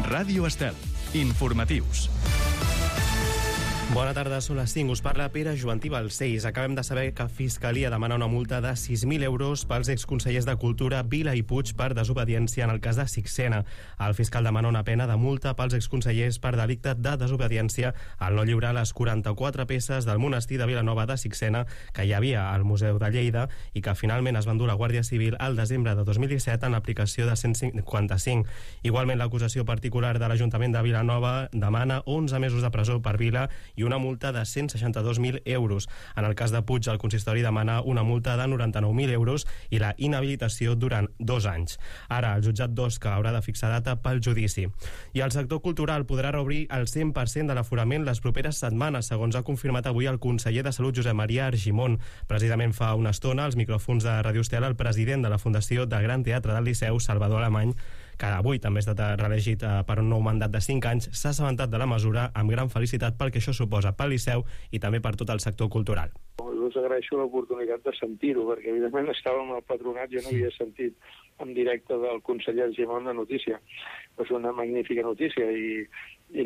Ràdio Estel. Informatius. Bona tarda, són les 5. Us parla Pere Joantí Balcells. Acabem de saber que Fiscalia demana una multa de 6.000 euros pels exconsellers de Cultura Vila i Puig per desobediència en el cas de Sixena. El fiscal demana una pena de multa pels exconsellers per delicte de desobediència al no lliurar les 44 peces del monestir de Vilanova de Sixena que hi havia al Museu de Lleida i que finalment es van dur a la Guàrdia Civil al desembre de 2017 en l'aplicació de 155. Igualment, l'acusació particular de l'Ajuntament de Vilanova demana 11 mesos de presó per Vila i una multa de 162.000 euros. En el cas de Puig, el consistori demana una multa de 99.000 euros i la inhabilitació durant 2 anys. Ara, el jutjat d'Osca haurà de fixar data pel judici. I el sector cultural podrà reobrir el 100% de l'aforament les properes setmanes, segons ha confirmat avui el conseller de Salut, Josep Maria Argimon. Precisament fa una estona, als micròfons de Ràdio Estel, el president de la Fundació del Gran Teatre del Liceu, Salvador Alemany, que avui també ha estat reelegit per un nou mandat de 5 anys, s'ha assabentat de la mesura amb gran felicitat pel que això suposa pel Liceu i també per tot el sector cultural. Us agraeixo l'oportunitat de sentir-ho, perquè evidentment estàvem al patronat, jo no havia sentit en directe del conseller Argimon la notícia. És una magnífica notícia i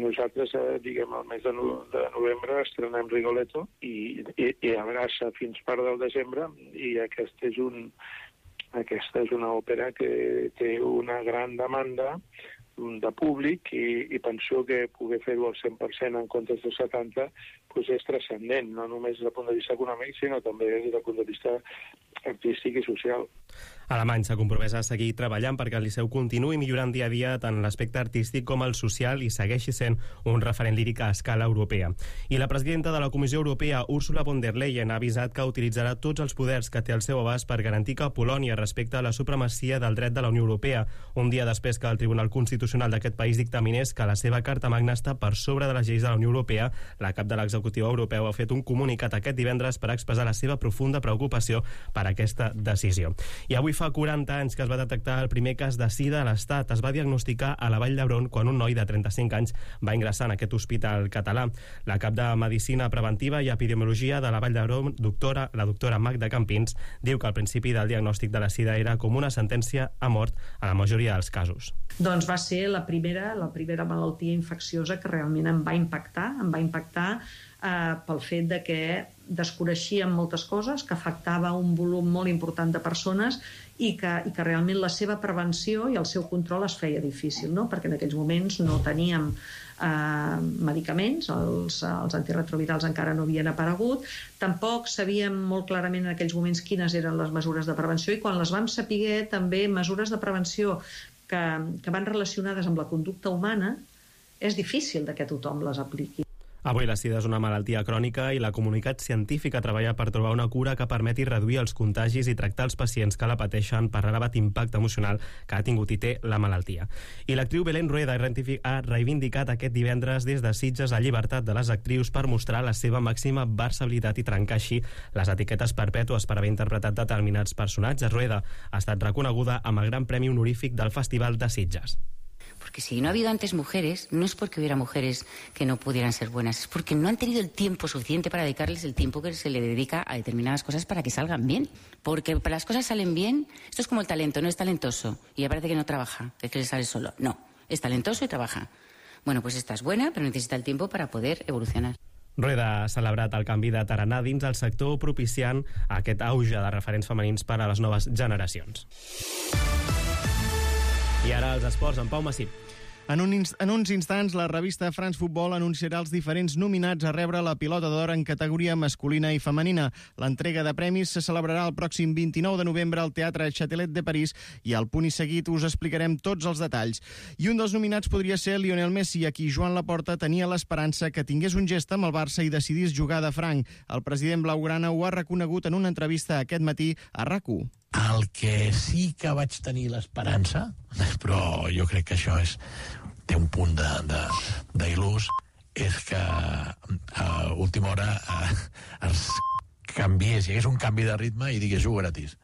nosaltres, diguem, al mes de novembre estrenem Rigoletto i Abraça fins part del desembre, i aquesta és una òpera que té una gran demanda de públic i penso que poder fer-ho al 100% en comptes del 70% és transcendent, no només des del punt de vista econòmic, sinó també des del punt de vista artístic i social. Alemany s'ha compromès a seguir treballant perquè el Liceu continuï millorant dia a dia tant l'aspecte artístic com el social i segueixi sent un referent líric a escala europea. I la presidenta de la Comissió Europea, Ursula von der Leyen, ha avisat que utilitzarà tots els poders que té al seu abast per garantir que Polònia respecta la supremacia del dret de la Unió Europea, un dia després que el Tribunal Constitucional d'aquest país dictaminés que la seva Carta Magna està per sobre de les lleis de la Unió Europea. La cap de l'executiu europeu ha fet un comunicat aquest divendres per expressar la seva profunda preocupació per aquesta decisió. I avui fa 40 anys que es va detectar el primer cas de sida a l'Estat. Es va diagnosticar a la Vall d'Hebron quan un noi de 35 anys va ingressar en aquest hospital català. La cap de Medicina Preventiva i Epidemiologia de la Vall d'Hebron, la doctora Magda Campins, diu que al principi del diagnòstic de la sida era com una sentència a mort a la majoria dels casos. Doncs va ser la primera malaltia infecciosa que realment em va impactar pel fet de que desconeixíem moltes coses, que afectava un volum molt important de persones i que realment la seva prevenció i el seu control es feia difícil, no? Perquè en aquells moments no teníem medicaments, els antirretrovirals encara no havien aparegut, tampoc sabíem molt clarament en aquells moments quines eren les mesures de prevenció, i quan les vam saber també mesures de prevenció que van relacionades amb la conducta humana, és difícil que tothom les apliqui. Avui la sida és una malaltia crònica i la comunitat científica treballa per trobar una cura que permeti reduir els contagis i tractar els pacients que la pateixen per l'elevat impacte emocional que ha tingut i té la malaltia. I l'actriu Belén Rueda ha reivindicat aquest divendres des de Sitges la llibertat de les actrius per mostrar la seva màxima versatilitat i trencar així les etiquetes perpètues per haver interpretat determinats personatges. Rueda ha estat reconeguda amb el Gran Premi Honorífic del Festival de Sitges. Porque si no ha habido antes mujeres, no es porque hubiera mujeres que no pudieran ser buenas, es porque no han tenido el tiempo suficiente para dedicarles el tiempo que se le dedica a determinadas cosas para que salgan bien. Porque para las cosas salen bien, esto es como el talento, no es talentoso y ya parece que no trabaja, es que le sale solo. No, es talentoso y trabaja. Bueno, pues esta es buena, pero necesita el tiempo para poder evolucionar. Rueda ha celebrat el canvi de tarannà dins el sector, propiciant aquest auge de referents femenins per a les noves generacions. I ara els esports, en Pau Massip. En uns instants, la revista France Football anunciarà els diferents nominats a rebre la Pilota d'Or en categoria masculina i femenina. L'entrega de premis se celebrarà el pròxim 29 de novembre al Teatre Châtelet de París i al punt i seguit us explicarem tots els detalls. I un dels nominats podria ser Lionel Messi, a qui Joan Laporta tenia l'esperança que tingués un gest amb el Barça i decidís jugar de franc. El president blaugrana ho ha reconegut en una entrevista aquest matí a RAC1. El que sí que vaig tenir l'esperança, però jo crec que això té un punt d'il·lús, és que a última hora es canviés, hi hagués un canvi de ritme i digués jugo gratis.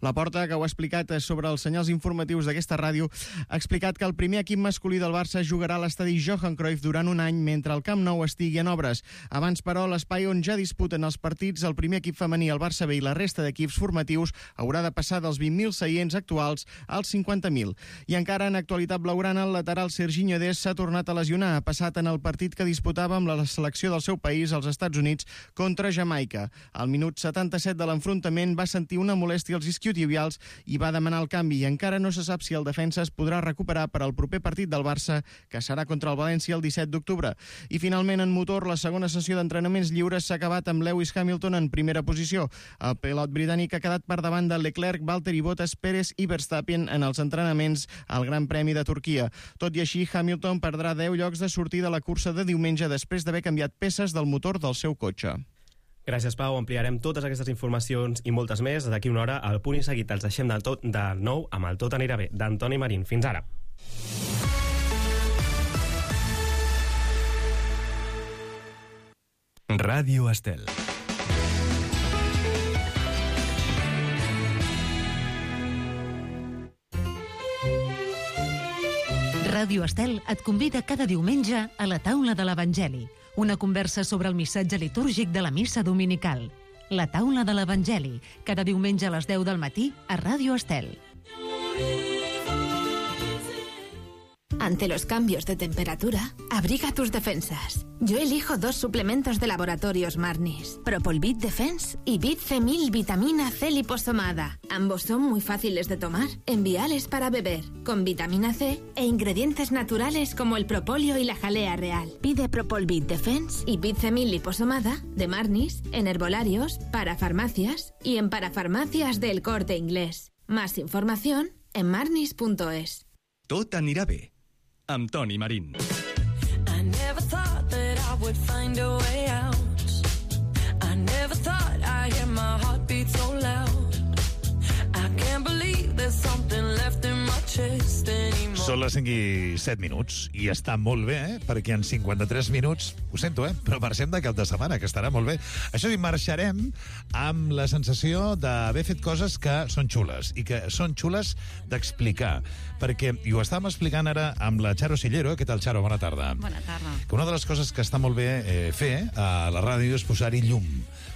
La Porta, que ho ha explicat sobre els senyals informatius d'aquesta ràdio, ha explicat que el primer equip masculí del Barça jugarà a l'estadi Johan Cruyff durant un any mentre el Camp Nou estigui en obres. Abans, però, l'espai on ja disputen els partits el primer equip femení, el Barça B, i la resta d'equips formatius haurà de passar dels 20.000 seients actuals als 50.000. I encara en actualitat blaugrana, el lateral Serginho Dest s'ha tornat a lesionar. Ha passat en el partit que disputava amb la selecció del seu país als Estats Units contra Jamaica. Al minut 77 de l'enfrontament va sentir una molèstia als isquiotibials i va demanar el canvi, i encara no se sap si el defensa es podrà recuperar per al proper partit del Barça, que serà contra el València el 17 d'octubre. I finalment, en motor, la segona sessió d'entrenaments lliures s'ha acabat amb Lewis Hamilton en primera posició. El pilot britànic ha quedat per davant de Leclerc, Valtteri Bottas, Pérez i Verstappen en els entrenaments al Gran Premi de Turquia. Tot i així, Hamilton perdrà 10 llocs de sortida a la cursa de diumenge després d'haver canviat peces del motor del seu cotxe. Gràcies, Pau. Ampliarem totes aquestes informacions i moltes més d'aquí una hora al Punt i Seguit. Els deixem de nou amb el Tot anirà bé, d'Antoni Marín. Fins ara. Ràdio Estel. Ràdio Estel et convida cada diumenge a la taula de l'Evangeli, una conversa sobre el missatge litúrgic de la missa dominical. La taula de l'Evangeli, cada diumenge a les 10 del matí a Ràdio Estel. Ante los cambios de temperatura, abriga tus defensas. Yo elijo 2 suplementos de Laboratorios Marnis, Propolvit Defense y Vit C1000 Vitamina C liposomada. Ambos son muy fáciles de tomar, enviales para beber, con vitamina C e ingredientes naturales como el propóleo y la jalea real. Pide Propolvit Defense y Vit C1000 liposomada de Marnis en herbolarios, parafarmacias y en parafarmacias del Corte Inglés. Más información en marnis.es. Tot anirà bé, amb Toni Marín. I never thought that I would find a way out. I never thought I'd hear my heartbeat so loud. I can't believe there's something left in my chest anymore. Són les 5 i 7 minuts i està molt bé, perquè en 53 minuts, ho sento, però marxem de cap de setmana, que estarà molt bé. Això sí, marxarem amb la sensació d'haver fet coses que són xules, i que són xules d'explicar, perquè, i ho estàvem explicant ara amb la Charo Sillero. Què tal, Charo? Bona tarda. Bona tarda. Que una de les coses que està molt bé fer a la ràdio és posar-hi llum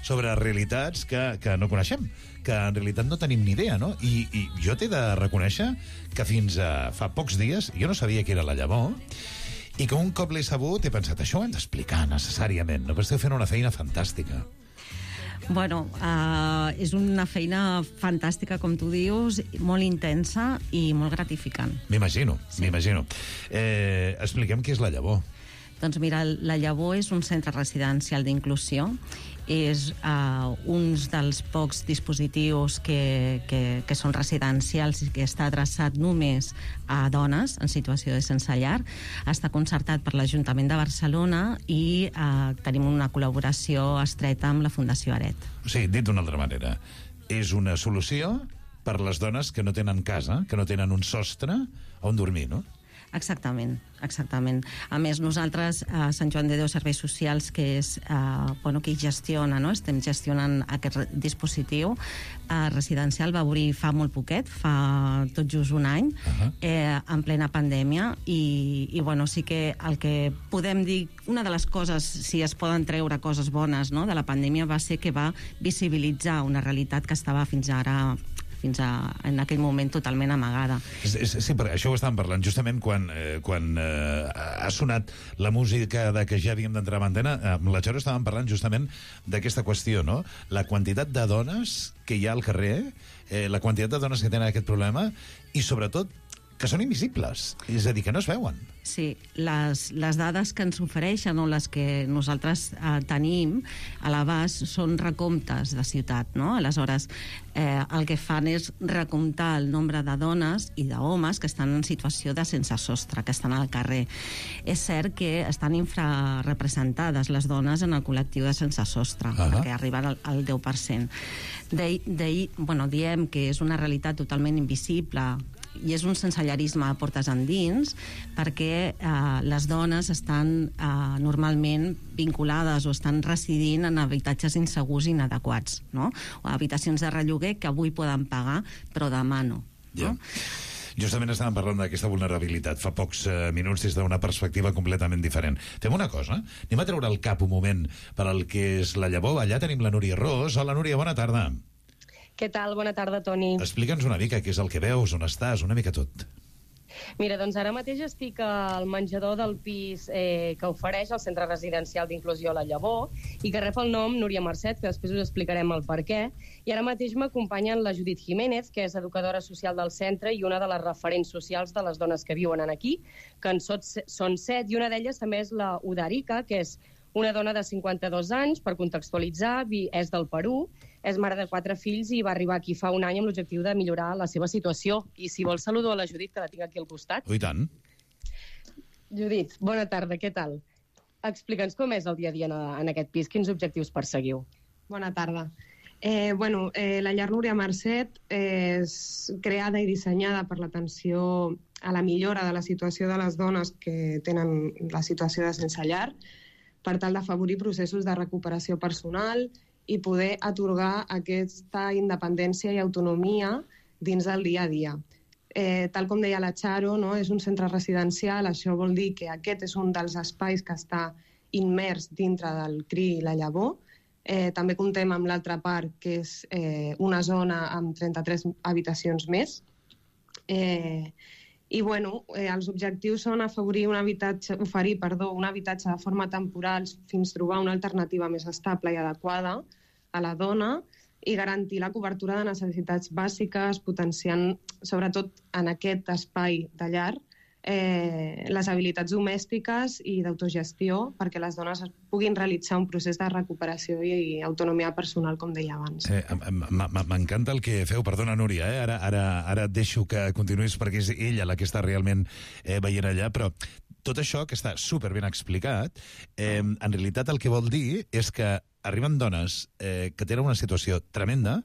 sobre realitats que no coneixem, que en realitat no tenim ni idea, no? I jo t'he de reconèixer que fins a fa pocs dies jo no sabia què era la llavor, i que un cop l'he sabut he pensat, això ho hem d'explicar necessàriament, no? Però esteu fent una feina fantàstica. Bueno, és una feina fantàstica, com tu dius, molt intensa i molt gratificant. M'imagino, m'imagino. Expliquem què és la llavor. Doncs mira, la Llavor és un centre residencial d'inclusió. És un dels pocs dispositius que són residencials i que està adreçat només a dones en situació de sense llar. Està concertat per l'Ajuntament de Barcelona i tenim una col·laboració estreta amb la Fundació Aret. O sigui, dit d'una altra manera, és una solució per les dones que no tenen casa, que no tenen un sostre on dormir, no? Exactament, exactament. A més, nosaltres, a Sant Joan de Déu Serveis Socials, que és qui gestiona, no? Estem gestionant aquest dispositiu residencial, va obrir fa molt poquet, fa tot just un any, en plena pandèmia, i sí que el que podem dir, una de les coses, si es poden treure coses bones, no?, de la pandèmia, va ser que va visibilitzar una realitat que estava fins en aquell moment totalment amagada. Sí, però això ho estàvem parlant justament quan ha sonat la música de que ja havíem d'entrar a antena. Amb la Charo estàvem parlant justament d'aquesta qüestió, no? La quantitat de dones que hi ha al carrer, la quantitat de dones que tenen aquest problema, i sobretot que són invisibles, és a dir, que no es veuen. Sí, les dades que ens ofereixen o les que nosaltres tenim a l'abast són recomptes de ciutat, no? Aleshores, el que fan és recomptar el nombre de dones i d'homes que estan en situació de sense sostre, que estan al carrer. És cert que estan infrarrepresentades les dones en el col·lectiu de sense sostre, perquè arriben al 10%. Diem que és una realitat totalment invisible i és un sensellarisme a portes endins, perquè les dones estan normalment vinculades o estan residint en habitatges insegurs i inadequats, no? O habitacions de relloguer que avui poden pagar, però demà no. Ja. Justament estàvem parlant d'aquesta vulnerabilitat fa pocs minuts des d'una perspectiva completament diferent. Fem una cosa, anem a treure el cap un moment per al que és la llavor. Allà tenim la Núria Ros. Hola, Núria, bona tarda. Què tal? Bona tarda, Toni. Explica'ns una mica què és el que veus, on estàs, una mica tot. Mira, doncs ara mateix estic al menjador del pis que ofereix el Centre Residencial d'Inclusió La Llavor i que rep el nom Núria Marcet, que després us explicarem el per què. I ara mateix m'acompanyen la Judit Jiménez, que és educadora social del centre i una de les referents socials de les dones que viuen aquí, que en són 7, i una d'elles també és la Udarica, que és una dona de 52 anys, per contextualitzar, és del Perú, és mare de 4 fills i va arribar aquí fa un any amb l'objectiu de millorar la seva situació. I si vols saludo a la Judit, que la tinc aquí al costat. Oh, i tant. Judit, bona tarda, què tal? Explica'ns com és el dia a dia en aquest pis, quins objectius perseguiu? Bona tarda. La llar Núria Marcet és creada i dissenyada per l'atenció a la millora de la situació de les dones que tenen la situació de sense llar, per tal d'afavorir processos de recuperació personal i poder atorgar aquesta independència i autonomia dins del dia a dia. Tal com deia la Charo, no? És un centre residencial, això vol dir que aquest és un dels espais que està immers dintre del CRI i La Llavor. També comptem amb l'altra part, que és una zona amb 33 habitacions més. I els objectius són oferir un habitatge de forma temporal fins trobar una alternativa més estable i adequada a la dona i garantir la cobertura de necessitats bàsiques, potenciant, sobretot en aquest espai de llar, les habilitats domèstiques i d'autogestió perquè les dones puguin realitzar un procés de recuperació i autonomia personal, com deia abans. M'encanta el que feu. Perdona, Núria, ara et deixo que continuïs perquè és ella la que està realment veient allà, però tot això que està superben explicat, en realitat el que vol dir és que arriben dones que tenen una situació tremenda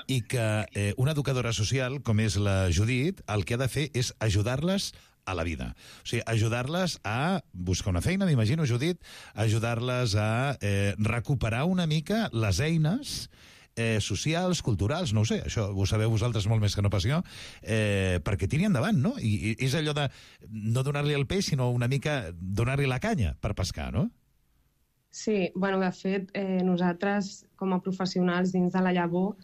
i que una educadora social, com és la Judit, el que ha de fer és ajudar-les a la vida. O sigui, ajudar-les a buscar una feina, m'imagino, Judit, ajudar-les a recuperar una mica les eines socials, culturals, no ho sé, això ho sabeu vosaltres molt més que no pas jo, perquè tiri endavant, no? I és allò de no donar-li el peix, sinó una mica donar-li la canya per pescar, no? Sí, de fet, nosaltres, com a professionals dins de La Llavor,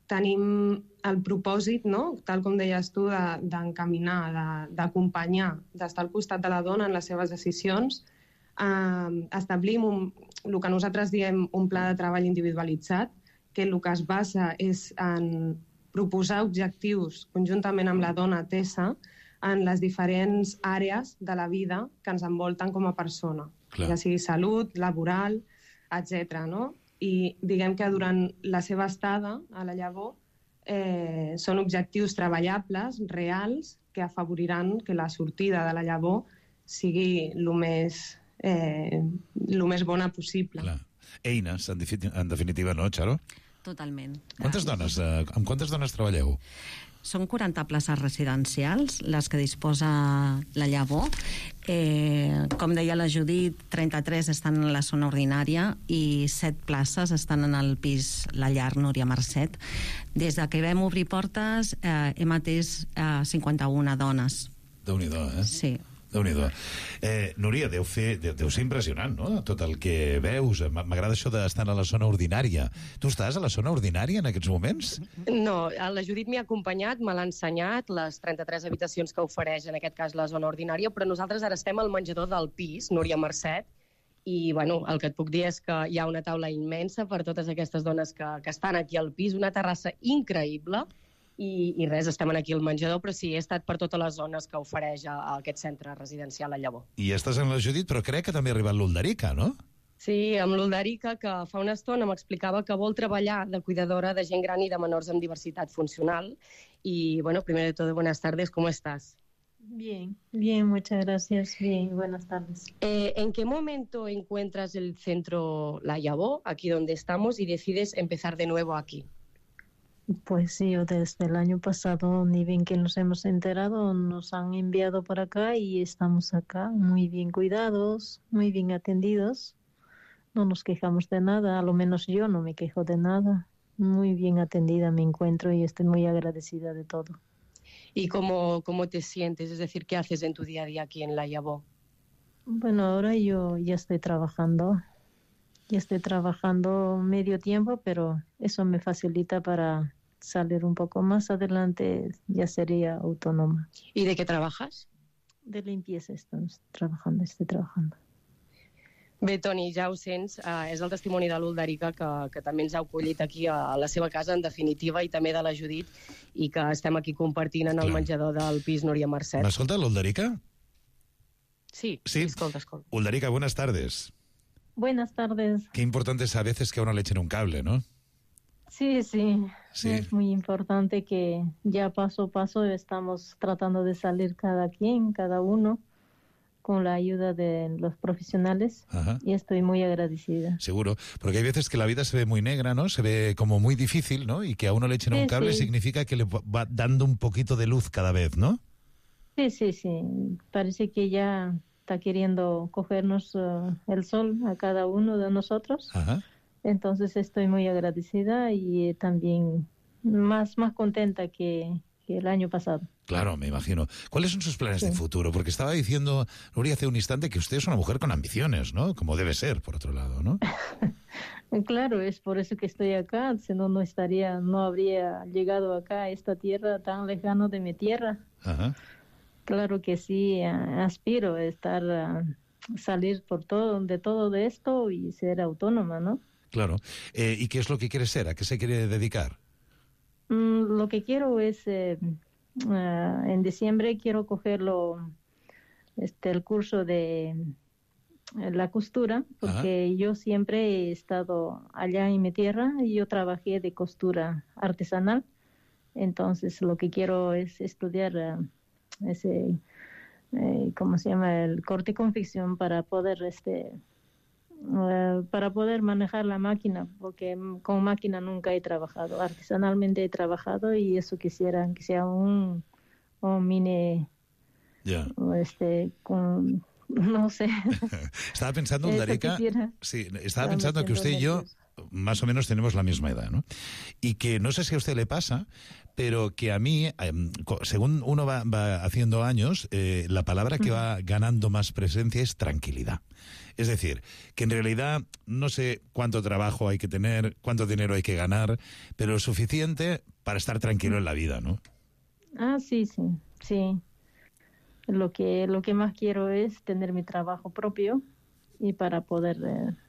tenim el propòsit, no? Tal com deies tu, d'encaminar, d'acompanyar, d'estar al costat de la dona en les seves decisions. Establim el que nosaltres diem un pla de treball individualitzat, que el que es basa és en proposar objectius conjuntament amb la dona atesa en les diferents àrees de la vida que ens envolten com a persona. Clar. Ja sigui salut, laboral, etc. No? I diguem que durant la seva estada a La Llavor són objectius treballables, reals, que afavoriran que la sortida de La Llavor sigui el més bona possible. Clar. Eines, en definitiva, no, Charo? Totalment. Amb quantes dones treballeu? Són 40 places residencials, les que disposa La Llavor. Com deia la Judit, 33 estan en la zona ordinària i 7 places estan en el pis La Llar Núria Marcet. Des que vam obrir portes hem atès 51 dones. Déu-n'hi-do, eh? Sí. Déu-n'hi-do. Núria, deu ser impressionant, no?, tot el que veus. M'agrada això d'estar a la zona ordinària. Tu estàs a la zona ordinària en aquests moments? No, la Judit m'hi ha acompanyat, me l'ha ensenyat, les 33 habitacions que ofereix, en aquest cas, la zona ordinària, però nosaltres ara estem al menjador del pis, Núria Marcet, i el que et puc dir és que hi ha una taula immensa per totes aquestes dones que estan aquí al pis, una terrassa increïble, i res, estem aquí al menjador, però sí, he estat per totes les zones que ofereix aquest centre residencial La Llavor. I estàs amb la Judit, però crec que també ha arribat l'Uldarica, no? Sí, amb l'Uldarica, que fa una estona m'explicava que vol treballar de cuidadora de gent gran i de menors amb diversitat funcional. Y, primero de todo, buenas tardes, ¿cómo estás? Bien, muchas gracias. Bien, buenas tardes. ¿En qué momento encuentras el centro La Llavor, aquí donde estamos, y decides empezar de nuevo aquí? Pues sí, desde el año pasado, ni bien que nos hemos enterado, nos han enviado por acá y estamos acá muy bien cuidados, muy bien atendidos. No nos quejamos de nada, a lo menos yo no me quejo de nada. Muy bien atendida me encuentro y estoy muy agradecida de todo. ¿Y cómo te sientes? Es decir, ¿qué haces en tu día a día aquí en La Llavor? Bueno, ahora yo ya estoy trabajando. Ya estoy trabajando medio tiempo, pero eso me facilita para salir un poco más adelante, ya sería autónoma. ¿Y de qué trabajas? De limpieza estoy trabajando. Bé, Toni, ja ho sents, és el testimoni de l'Ulderica que també ens ha acollit aquí a la seva casa, en definitiva, i també de la Judit, i que estem aquí compartint en el menjador del pis Núria Mercè. ¿Me escolta l'Ulderica? Sí, escolta. Ulderica, buenas tardes. Buenas tardes. Qué importante es a veces que a uno le echen un cable, ¿no? Sí. Es muy importante que ya paso a paso estamos tratando de salir cada uno, con la ayuda de los profesionales. Ajá. Y estoy muy agradecida. Seguro, porque hay veces que la vida se ve muy negra, ¿no? Se ve como muy difícil, ¿no? Y que a uno le echen un cable significa que le va dando un poquito de luz cada vez, ¿no? Sí. Parece que ya está queriendo cogernos el sol a cada uno de nosotros. Ajá. Entonces estoy muy agradecida y también más contenta que el año pasado. Claro, me imagino. ¿Cuáles son sus planes de futuro? Porque estaba diciendo, Nuria, hace un instante que usted es una mujer con ambiciones, ¿no? Como debe ser, por otro lado, ¿no? Claro, es por eso que estoy acá, si no, no habría llegado acá a esta tierra tan lejano de mi tierra. Ajá. Claro que sí, aspiro a salir de todo esto y ser autónoma, ¿no? Claro. ¿Y qué es lo que quiere ser? ¿A qué se quiere dedicar? Lo que quiero es, en diciembre quiero cogerlo, el curso de la costura, porque yo siempre he estado allá en mi tierra y yo trabajé de costura artesanal. Entonces lo que quiero es estudiar ese, ¿cómo se llama? El corte y confección para poder manejar la máquina, porque con máquina nunca he trabajado, artesanalmente he trabajado y eso quisiera que sea un mini, no sé. Estaba pensando, Ulderica, estaba pensando que usted y yo más o menos tenemos la misma edad, ¿no? Y que no sé si a usted le pasa, pero que a mí, según uno va haciendo años, la palabra que va ganando más presencia es tranquilidad. Es decir, que en realidad no sé cuánto trabajo hay que tener, cuánto dinero hay que ganar, pero lo suficiente para estar tranquilo en la vida, ¿no? Sí. Lo que más quiero es tener mi trabajo propio y para poder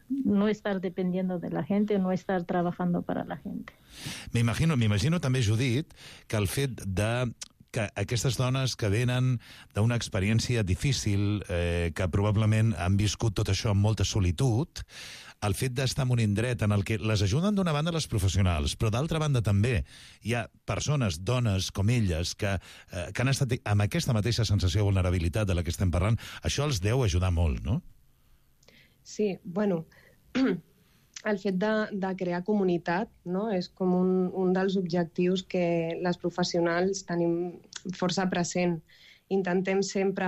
no estar dependiendo de la gente, no estar trabajando para la gente. M'imagino també, Judit, que el fet de que aquestes dones que venen d'una experiència difícil, que probablement han viscut tot això amb molta solitud, el fet d'estar en un indret en el que les ajuden d'una banda les professionals, però d'altra banda també hi ha persones, dones com elles, que han estat amb aquesta mateixa sensació de vulnerabilitat de la que estem parlant, això els deu ajudar molt, no? Sí, bueno, el fet de crear comunitat, no? És com un dels objectius que les professionals tenim força present. Intentem sempre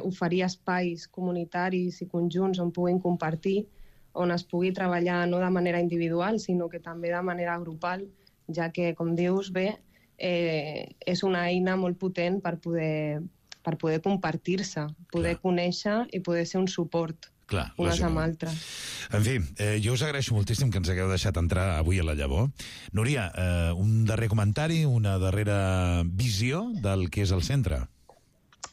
oferir espais comunitaris i conjunts on puguin compartir, on es pugui treballar no de manera individual, sinó que també de manera grupal, ja que, com dius bé, és una eina molt potent per poder compartir-se, poder conèixer i poder ser un suport. Clar, unes amb altres. En fi, jo us agraeixo moltíssim que ens hagueu deixat entrar avui a La Llavor. Núria, un darrer comentari, una darrera visió del que és el centre.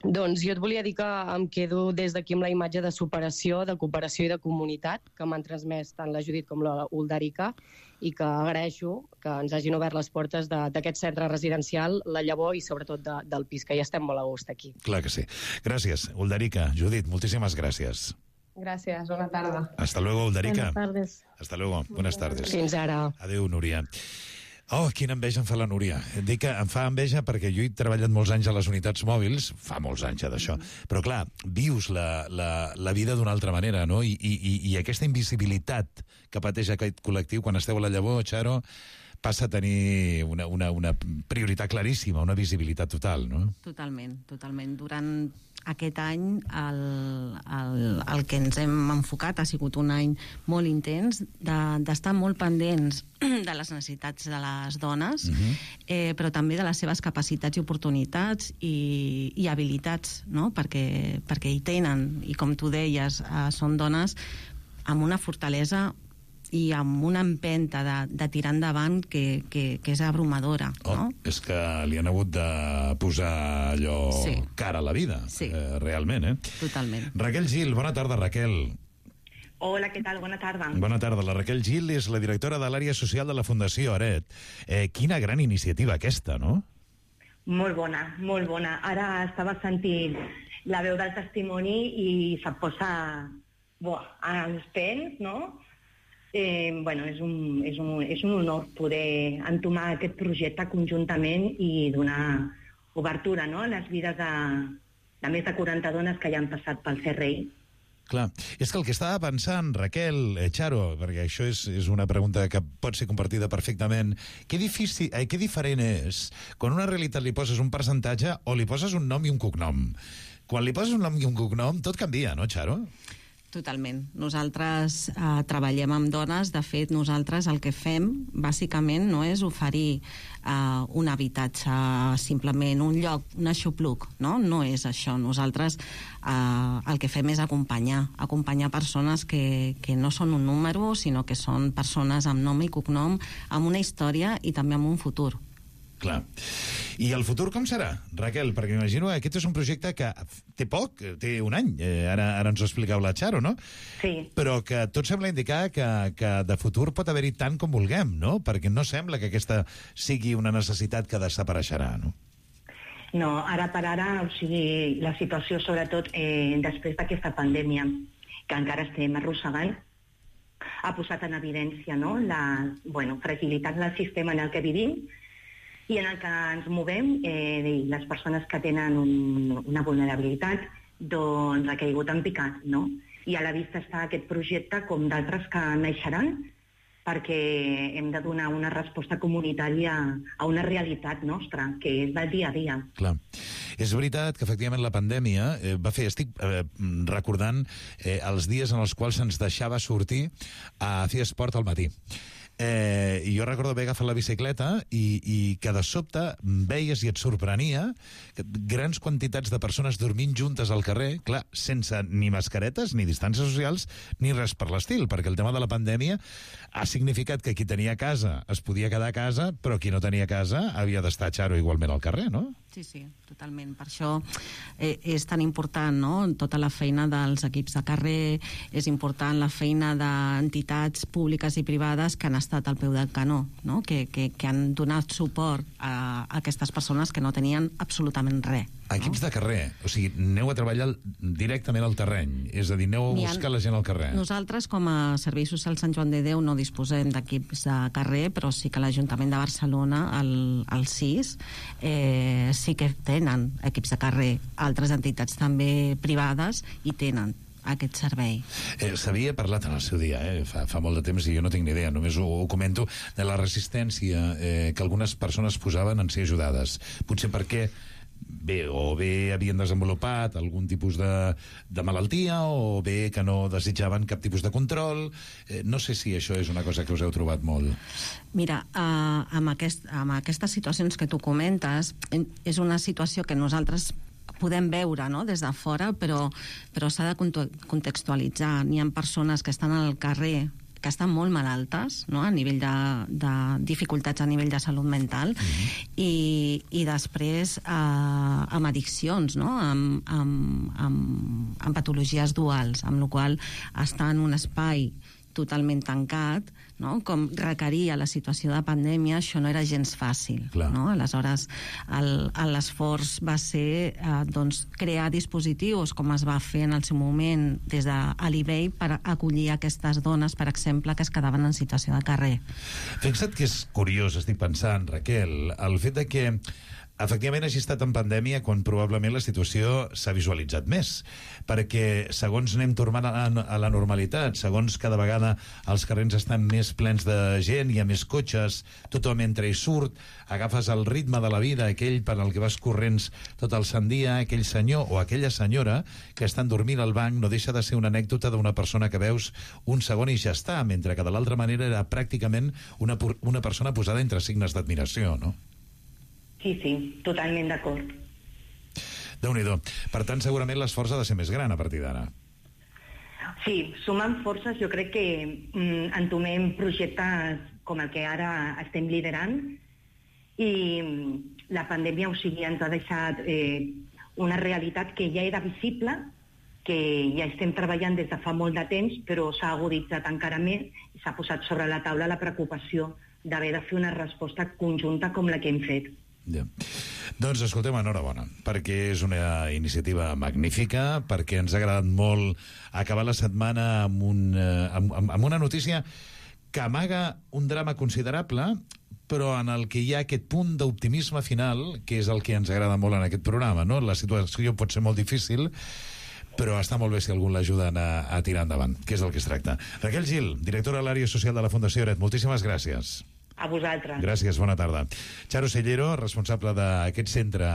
Doncs jo et volia dir que em quedo des d'aquí amb la imatge de superació, de cooperació i de comunitat que m'han transmès tant la Judit com la Ulderica i que agraeixo que ens hagin obert les portes d'aquest centre residencial, La Llavor i sobretot del pis, que ja estem molt a gust aquí. Clar que sí. Gràcies, Ulderica. Judit, moltíssimes gràcies. Gracias, buena tarde. Hasta luego, Ulderica. Buenas tardes. Hasta luego, buenas tardes. Fins ara. Adéu, Núria. Oh, quina enveja em fa la Núria. Dic que em fa enveja perquè jo he treballat molts anys a les unitats mòbils, fa molts anys ja d'això, però clar, vius la vida d'una altra manera, no? I aquesta invisibilitat que pateix aquest col·lectiu quan esteu a La Llavor, Charo, passa a tenir una prioritat claríssima, una visibilitat total, no? Totalment. Durant aquest any el que ens hem enfocat ha sigut un any molt intens d'estar molt pendents de les necessitats de les dones, però també de les seves capacitats i oportunitats i habilitats, no? Perquè hi tenen, i com tu deies, són dones amb una fortalesa i amb una empenta de tirar endavant que és abrumadora, no? És que li han hagut de posar allò cara a la vida, realment, Totalment. Raquel Gil, bona tarda, Raquel. Hola, què tal? Bona tarda. Bona tarda. La Raquel Gil és la directora de l'àrea social de la Fundació Aret. Quina gran iniciativa aquesta, no? Molt bona, molt bona. Ara estava sentint la veu del testimoni i se't posa als pèls, no? És un honor poder entomar aquest projecte conjuntament i donar obertura, no?, a les vides de més de 40 dones que ja han passat pel CRI. Clar, és que el que estava pensant, Raquel, Charo, perquè això és una pregunta que pot ser compartida perfectament, què diferent és quan a una realitat li poses un percentatge o li poses un nom i un cognom? Quan li poses un nom i un cognom, tot canvia, no, Charo? Totalment. Nosaltres treballem amb dones. De fet, nosaltres el que fem, bàsicament, no és oferir un habitatge, simplement un lloc, un aixopluc, no? No és això. Nosaltres el que fem és acompanyar persones que no són un número, sinó que són persones amb nom i cognom, amb una història i també amb un futur. Clar. I el futur com serà, Raquel? Perquè m'imagino que aquest és un projecte que té poc, té un any, ara ens ho explicau la Charo, no? Sí. Però que tot sembla indicar que de futur pot haver-hi tant com vulguem, no? Perquè no sembla que aquesta sigui una necessitat que desapareixerà, no? No, ara per ara, o sigui, la situació, sobretot després d'aquesta pandèmia, que encara estem arrossegant, ha posat en evidència, no?, la fragilitat del sistema en el que vivim i en el que ens movem, les persones que tenen una vulnerabilitat, doncs ha caigut en picat, no? I a la vista està aquest projecte com d'altres que naixeran, perquè hem de donar una resposta comunitària a una realitat nostra, que és del dia a dia. Clar. És veritat que, efectivament, la pandèmia va fer... Estic recordant els dies en els quals se'ns deixava sortir a fer esport al matí. I jo recordo haver agafat la bicicleta i que de sobte veies i et sorprenia grans quantitats de persones dormint juntes al carrer, clar, sense ni mascaretes, ni distàncies socials, ni res per l'estil, perquè el tema de la pandèmia ha significat que qui tenia casa es podia quedar a casa, però qui no tenia casa havia d'estar, Charo, igualment al carrer, no? Sí, totalment. Per això és tan important, no?, tota la feina dels equips de carrer, és important la feina d'entitats públiques i privades que han estat al peu del canó, no?, que han donat suport a aquestes persones que no tenien absolutament res. Equips de carrer, o sigui, aneu a treballar directament al terreny, és a dir, aneu a buscar la gent al carrer. Nosaltres, com a Servei Social Sant Joan de Déu, no disposem d'equips de carrer, però sí que l'Ajuntament de Barcelona, el CIS, sí que tenen equips de carrer. Altres entitats també privades i tenen aquest servei. S'havia parlat en el seu dia, fa molt de temps, i jo no tinc ni idea, només ho comento, de la resistència que algunes persones posaven en ser ajudades. Potser perquè bé havien desenvolupat algun tipus de malaltia, o bé que no desitjaven cap tipus de control. No sé si això és una cosa que us heu trobat molt. Mira, amb aquestes situacions que tu comentes, és una situació que nosaltres podem veure, no?, des de fora, però s'ha de contextualitzar. N'hi ha persones que estan al carrer que estan molt malaltes, no?, a nivell de dificultats a nivell de salut mental, i després amb addiccions, no?, amb patologies duals, amb la qual cosa estar en un espai totalment tancat, no?, com requeria la situació de pandèmia, això no era gens fàcil, no? Aleshores, l'esforç va ser crear dispositius, com es va fer en el seu moment des de l'eBay, per acollir aquestes dones, per exemple, que es quedaven en situació de carrer. Fixa't que és curiós, estic pensant, Raquel, el fet de que efectivament hagi estat en pandèmia quan probablement la situació s'ha visualitzat més, perquè segons anem tornant a la normalitat, segons cada vegada els carrers estan més plens de gent, hi ha més cotxes, tothom entra i surt, agafes el ritme de la vida, aquell per al que vas corrents tot el sant dia, aquell senyor o aquella senyora que estan dormint al banc no deixa de ser una anècdota d'una persona que veus un segon i ja està, mentre que de l'altra manera era pràcticament una persona posada entre signes d'admiració, no? Sí, totalment d'acord. Déu-n'hi-do. Per tant, segurament l'esforç ha de ser més gran a partir d'ara. Sí, sumant forces, jo crec que entomem projectes com el que ara estem liderant i la pandèmia, ens ha deixat una realitat que ja era visible, que ja estem treballant des de fa molt de temps, però s'ha aguditzat encara més i s'ha posat sobre la taula la preocupació d'haver de fer una resposta conjunta com la que hem fet. Ja. Doncs escoltem, enhorabona, perquè és una iniciativa magnífica, perquè ens ha agradat molt acabar la setmana amb una notícia que amaga un drama considerable, però en el que hi ha aquest punt d'optimisme final, que és el que ens agrada molt en aquest programa, no? La situació pot ser molt difícil, però està molt bé si algú l'ajuden a tirar endavant, que és del que es tracta. Raquel Gil, directora de l'àrea social de la Fundació Lloret, moltíssimes gràcies. A vosaltres. Gràcies, bona tarda. Charo Sellero, responsable d'aquest centre,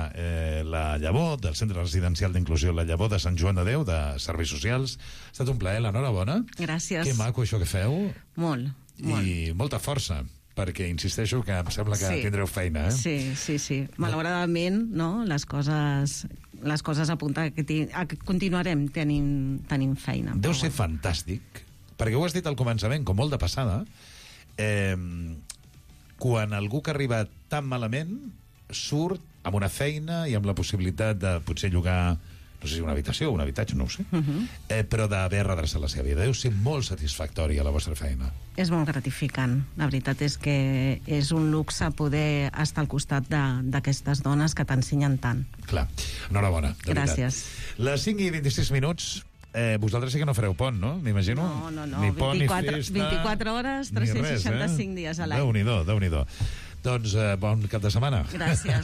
La Llavor, del Centre Residencial d'Inclusió La Llavor de Sant Joan de Déu, de Serveis Socials. Ha estat un plaer, l'enhorabona. Gràcies. Que maco això que feu. Molt. I molta força, perquè insisteixo que em sembla que tindreu feina, eh? Sí. Malauradament, no? Les coses apunten que continuarem tenint feina. Deu ser fantàstic, perquè ho has dit al començament, com molt de passada, quan algú que arriba tan malament surt amb una feina i amb la possibilitat de potser llogar, no sé si una habitació o un habitatge, no ho sé, però d'haver redreçat la seva vida. Deu ser molt satisfactori a la vostra feina. És molt gratificant. La veritat és que és un luxe poder estar al costat d'aquestes dones que t'ensenyen tant. Clar. Enhorabona, de veritat. Gràcies. Les 5 i 26 minuts... vosaltres sí que no fareu pont, no? M'imagino. No. Ni pont, 24 ni hores, 365 dies a l'any. Déu-n'hi-do. Doncs bon cap de setmana. Gràcies,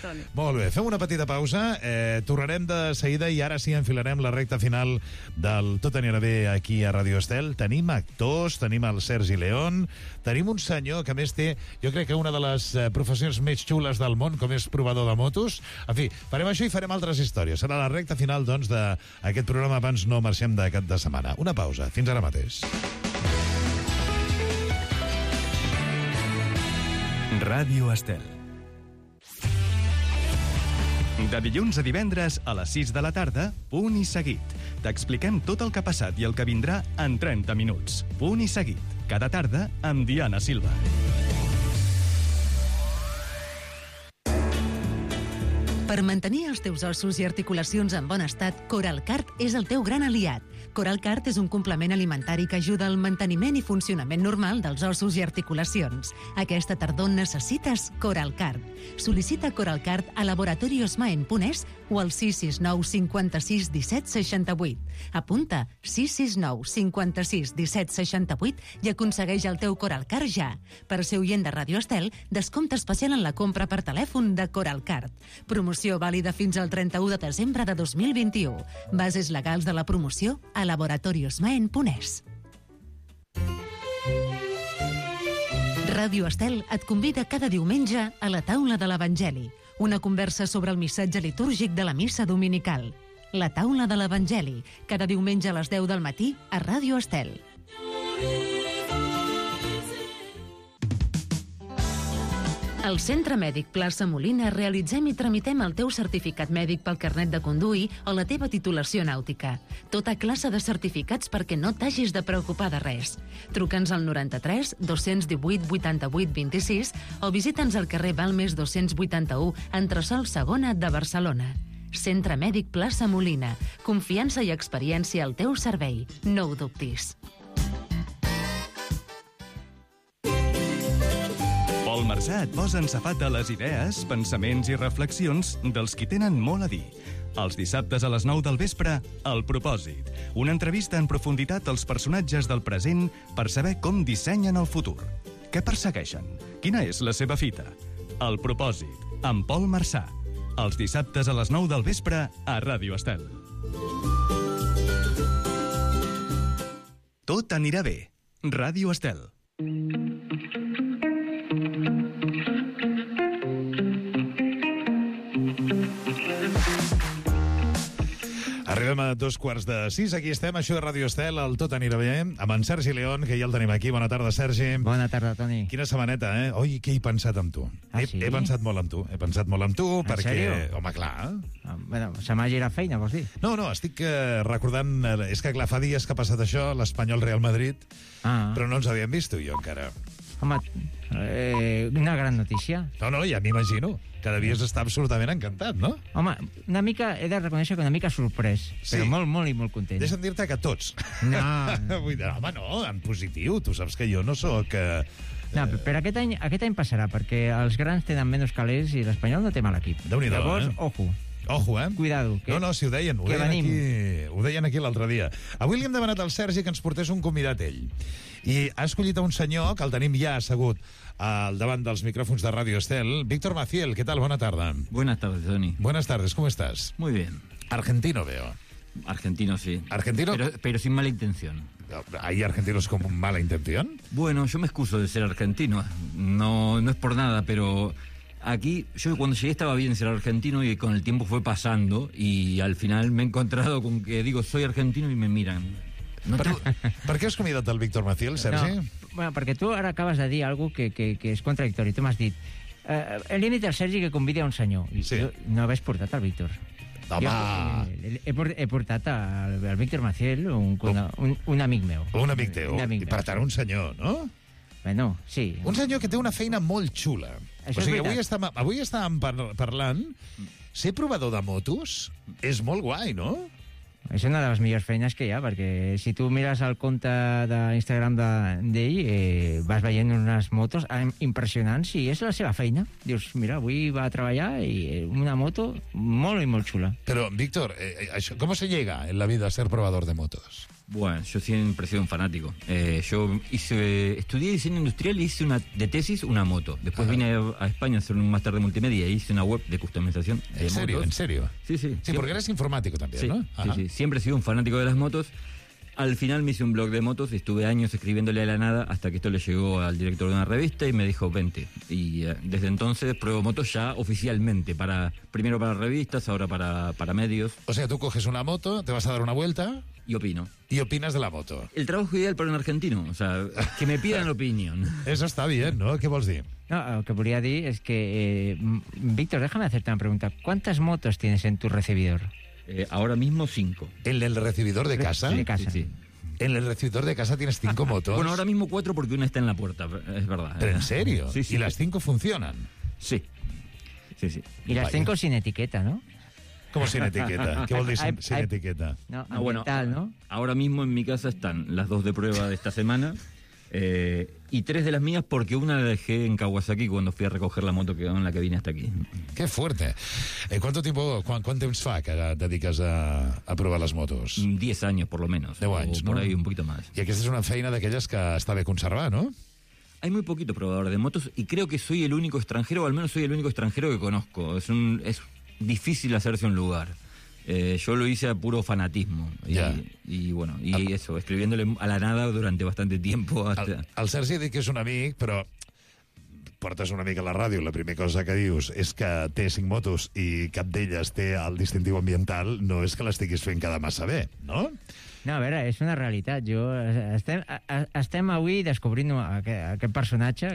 Toni. Molt bé, fem una petita pausa, tornarem de seguida i ara sí enfilarem la recta final del Tot anirà bé aquí a Radio Estel. Tenim actors, tenim el Sergi León, tenim un senyor que més té, jo crec que una de les professions més xules del món, com és provador de motos. En fi, farem això i farem altres històries. Serà la recta final, doncs, d'aquest programa abans no marxem de cap de setmana. Una pausa, fins ara mateix. Ràdio Estel. De dilluns a divendres a les 6 de la tarda, Punt i Seguit. T'expliquem tot el que ha passat i el que vindrà en 30 minuts. Punt i Seguit. Cada tarda amb Diana Silva. Per mantenir els teus ossos i articulacions en bon estat, Coralcart és el teu gran aliat. Coralcart és un complement alimentari que ajuda al manteniment i funcionament normal dels ossos i articulacions. Aquesta tardor necessites Coralcart. Sol·licita Coralcart a laboratoriosmaen.es o al 669 56 17 68. Apunta 669 56 17 68 i aconsegueix el teu Coralcart ja. Per ser oient de Radio Estel, descompte especial en la compra per telèfon de Coralcart. Promoció vàlida fins al 31 de desembre de 2021. Bases legals de la promoció a laboratoriosmaen.es. Ràdio Estel et convida cada diumenge a la taula de l'Evangeli, una conversa sobre el missatge litúrgic de la missa dominical. La taula de l'Evangeli, cada diumenge a les 10 del matí a Ràdio Estel. Al Centre Mèdic Plaça Molina realitzem i tramitem el teu certificat mèdic pel carnet de conduir o la teva titulació nàutica. Tota classe de certificats perquè no t'hagis de preocupar de res. Truca'ns al 93 218 88 26 o visita'ns al carrer Balmes 281, entresòl Segona de Barcelona. Centre Mèdic Plaça Molina. Confiança i experiència al teu servei. No ho dubtis. Pol Marsà et posa en safata les idees, pensaments i reflexions dels qui tenen molt a dir. Els dissabtes a les 9 del vespre, El Propòsit. Una entrevista en profunditat als personatges del present per saber com dissenyen el futur. Què persegueixen? Quina és la seva fita? El propòsit, amb Pol Marçà. Els dissabtes a les 9 del vespre a Ràdio Estel. Tot anirà bé. Ràdio Estel. Arribem a 5:15. Aquí estem, això de Ràdio Estel, el Tot anirà bé, amb en Sergi León, que ja el tenim aquí. Bona tarda, Sergi. Bona tarda, Toni. Quina setmaneta, eh? Oi, què he pensat amb tu? Sí? He pensat molt amb tu. He pensat molt amb tu perquè... sèrio? Home, clar. Bueno, se m'ha girat feina, vols dir? No, estic recordant... És que, clar, fa dies que ha passat això, l'Espanyol Real Madrid, però no ens havíem vist, tu i jo, encara. Home, una gran notícia. No, ja m'imagino. Cada dia està absolutament encantat, no? Home, una mica, he de reconèixer que una mica sorprès, però molt i molt content. Deixa'm dir-te que tots. No. Vull dir, home, no, en positiu. Tu saps que jo no sóc... No, però aquest any passarà, perquè els grans tenen menys calés i l'Espanyol no té mal equip. Déu-n'hi-do, Llavors, ojo. Ojo, eh? Cuidado. No, si ho deien. Ho deien aquí l'altre dia. Avui li hem demanat al Sergi que ens portés un convidat ell. I ha escollit un senyor que el tenim ja assegut al davant dels micrófonos de Radio Estel. Víctor Maciel, ¿qué tal? Buena tarde. Buenas tardes, Tony. Buenas tardes, ¿cómo estás? Muy bien. Argentino veo. Argentino, sí. ¿Argentino? Pero sin mala intención. ¿Hay argentinos con mala intención? Bueno, yo me excuso de ser argentino. No es por nada, pero... Aquí, yo cuando llegué estaba bien ser argentino y con el tiempo fue pasando y al final me he encontrado con que digo soy argentino y me miran. Per què has convidat el Víctor Maciel, Sergi? No, bueno, perquè tu ara acabes de dir alguna cosa que és contradictori. Tu m'has dit, el límit del Sergi que convidi a un senyor. Sí. No hagués portat el Víctor. Home! He portat al Víctor Maciel, un amic meu. Un amic teu. I per tant, un senyor, no? Bueno, sí. Un senyor que té una feina molt xula. Això és veritat. Avui estàvem parlant... Ser provador de motos és molt guai, no? És una de les millors feines que hi ha, perquè si tu mires el compte d'Instagram d'ell, vas veient unes motos impressionants i és la seva feina. Dius, mira, avui va a treballar i una moto molt i molt xula. Però, Víctor, ¿cómo se llega en la vida a ser probador de motos? Bueno, yo siempre he sido un fanático. Yo estudié diseño industrial y hice de tesis una moto. Después vine a España a hacer un máster de multimedia y hice una web de customización de motos. ¿En serio? Sí. Sí, porque eres informático también, sí, ¿no? Sí. Siempre he sido un fanático de las motos. Al final me hice un blog de motos y estuve años escribiéndole a la nada hasta que esto le llegó al director de una revista y me dijo, vente. Y desde entonces pruebo motos ya oficialmente, primero para revistas, ahora para medios. O sea, tú coges una moto, te vas a dar una vuelta... Y opino. Y opinas de la moto. El trabajo ideal para un argentino, o sea, que me pidan opinión. Eso está bien, ¿no? ¿Qué vols dir? No, lo que volia dir es que... Víctor, déjame hacerte una pregunta. ¿Cuántas motos tienes en tu recibidor? Ahora mismo 5. ¿En el recibidor de casa? De casa. Sí. En el recibidor de casa tienes 5 motos. Bueno, ahora mismo 4 porque una está en la puerta, es verdad. ¿Pero en serio? Sí. ¿Y las 5 funcionan? Sí. Y las 5 sin etiqueta, ¿no? ¿Cómo sin etiqueta? ¿Qué vol dir sin etiqueta? No, bueno, ¿no? Ahora mismo en mi casa están las 2 de prueba de esta semana y 3 de las mías porque una la dejé en Kawasaki cuando fui a recoger la moto en la que vine hasta aquí. Qué fuerte. ¿Cuánto tiempo, cuánto temps fa que dediques a provar les motos? 10 años por lo menos. 10 anys, por no? ahí un poquito más. I aquesta és una feina d'aquelles que està bé conservar, no? Hay muy poquito probador de motos y creo que soy el único extranjero, o al menos soy el único extranjero que conozco. Es difícil hacerse un lugar. Yo lo hice a puro fanatismo. Y bueno, eso, escribiéndole a la nada durante bastante tiempo. El Sergi ha dit que és un amic, però portes una mica a la ràdio, la primera cosa que dius és que té 5 motos i cap d'elles té el distintiu ambiental, no és que l'estiguis fent quedar massa bé, no? No, a veure, és una realitat. Estem avui descobrint aquest personatge,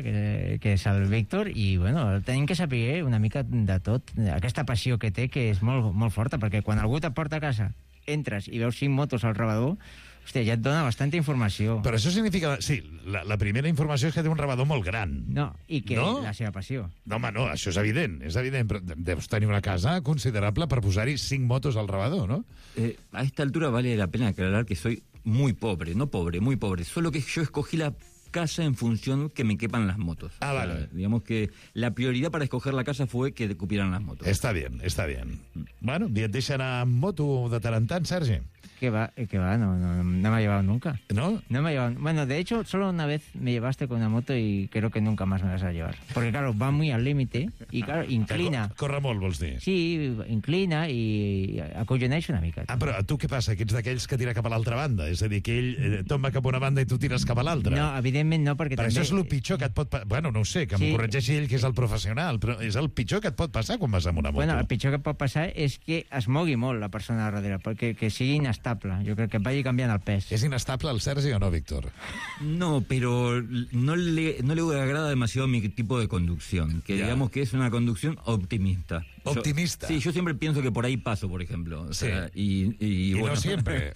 que és el Víctor, i bueno, tenim que saber una mica de tot, aquesta passió que té, que és molt, molt forta, perquè quan algú te porta a casa, entres i veus 5 motos al rebedor, hòstia, ja et dona bastanta informació. Però això significa... Sí, la primera informació és que té un rebedor molt gran. No, i que la seva passió. No, home, no, això és evident, però deus tenir una casa considerable per posar-hi 5 motos al rebedor, ¿no? A esta altura vale la pena aclarar que soy muy pobre, no pobre, muy pobre, solo que yo escogí la casa en función que me quepan las motos. Vale. Digamos que la prioridad para escoger la casa fue que cupieran las motos. Està bien. Bueno, i et deixen anar amb moto de tant en tant, Sergi? Que va, no me ha llevado nunca. ¿No? No me ha llevado. Bueno, de hecho, solo una vez me llevaste con una moto y creo que nunca más me vas a llevar. Porque, claro, va muy al límite y, claro, inclina. Corre molt, vols dir? Sí, inclina i acolloneix una mica. Ah, però tu què passa? Que ets d'aquells que tira cap a l'altra banda? És a dir, que ell tomba cap a una banda i tu tires cap a l'altra? No, evidentment no, perquè però també... això és el pitjor que et pot passar. Bueno, no ho sé, que m'ho corregeixi ell, que és el professional, però és el pitjor que et pot passar quan vas amb una moto. Bueno, el pitjor que pot passar és que es mogui molt la persona darrere, perquè que sigui inestable. Jo crec que vagi canviant el pes. ¿Es inestable el Sergi o no, Víctor? No, pero no le agrada demasiado mi tipo de conducción, que digamos que es una conducción optimista. ¿Optimista? Sí, yo siempre pienso que por ahí paso, por ejemplo. O sea, y bueno, no siempre.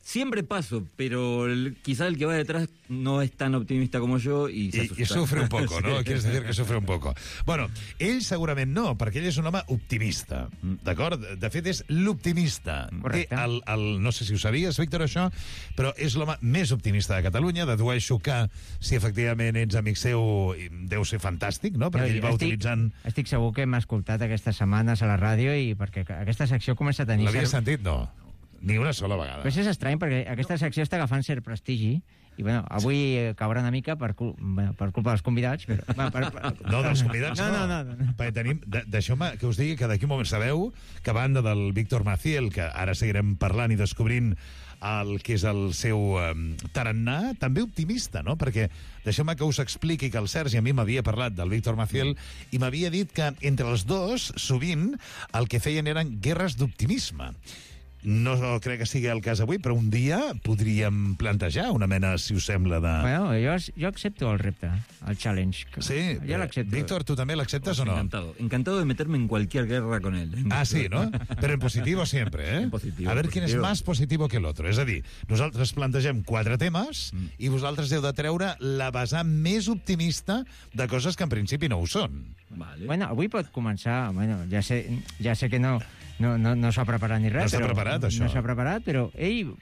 Siempre paso, pero quizá el que va detrás no es tan optimista como yo y se asusta. I sufre un poco, ¿no? Quieres decir que sufre un poco. Bueno, ell segurament no, perquè ell és un home optimista, d'acord? De fet, és l'optimista. Correcte. No sé si ho sabies, Víctor, això, però és l'home més optimista de Catalunya. Dedueixo que, si efectivament ets amic seu, deu ser fantàstic, no? Perquè ell va utilitzant... Estic segur que m'ha escoltat aquestes setmanes a la ràdio i perquè aquesta secció comença a tenir... L'havia sentit? No. Ni una sola vegada. Però és estrany, perquè aquesta secció està agafant cert prestigi, i bueno, avui caurà una mica per culpa dels convidats, però... No, dels convidats no. Perquè tenim... Deixeu-me que us digui que d'aquí un moment sabeu que a banda del Víctor Maciel, que ara seguirem parlant i descobrint el que és el seu tarannà, també optimista, no? Perquè deixeu-me que us expliqui que el Sergi a mi m'havia parlat del Víctor Maciel i m'havia dit que entre els dos, sovint, el que feien eren guerres d'optimisme. No crec que sigui el cas avui, però un dia podríem plantejar una mena, si us sembla, de... Bueno, jo accepto el repte, el challenge. Sí, jo l'accepto. Víctor, ¿tú también l'acceptes o no? Encantado de meterme en cualquier guerra con él. Ah, sí, ¿no? Pero en positivo siempre, ¿eh? En positivo, a ver quién es más positivo que el otro. És a dir, nosaltres plantegem 4 temes i vosaltres heu de treure la vessant més optimista de coses que en principi no ho són. Vale. Bueno, avui pot començar... Bueno, ja sé que no s'ha preparat ni res. No s'ha preparat, això. No s'ha preparat, però ell...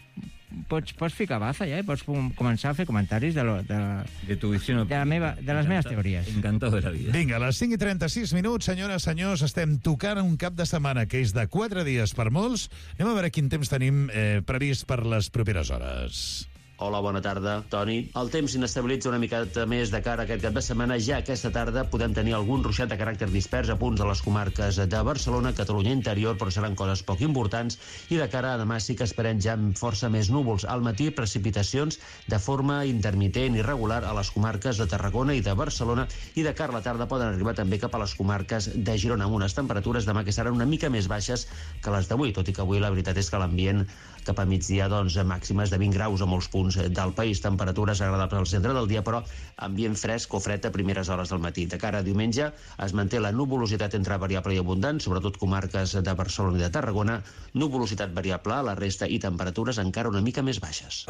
Pots ficar baza ja i pots començar a fer comentaris de tu visió, de les meves teories. Encantado de la vida. Vinga, a les 5:36, senyores, senyors, estem tocant un cap de setmana que és de 4 dies per molts. Anem a veure quin temps tenim previst per les properes hores. Hola, bona tarda, Toni. El temps s'inestabilitza una miqueta més de cara a aquest cap de setmana. Ja aquesta tarda podem tenir algun ruixat de caràcter dispers a punts de les comarques de Barcelona, Catalunya interior, però seran coses poc importants. I de cara a demà sí que esperem ja amb força més núvols. Al matí, precipitacions de forma intermitent i regular a les comarques de Tarragona i de Barcelona. I de cara a la tarda poden arribar també cap a les comarques de Girona, amb unes temperatures demà que seran una mica més baixes que les d'avui, tot i que avui la veritat és que l'ambient cap a migdia, doncs, màximes de 20 graus a molts punts del país, temperatures agradables al centre del dia, però ambient fresc o fred a primeres hores del matí. De cara a diumenge es manté la nuvolositat entre variable i abundant, sobretot comarques de Barcelona i de Tarragona, nuvolositat variable a la resta i temperatures encara una mica més baixes.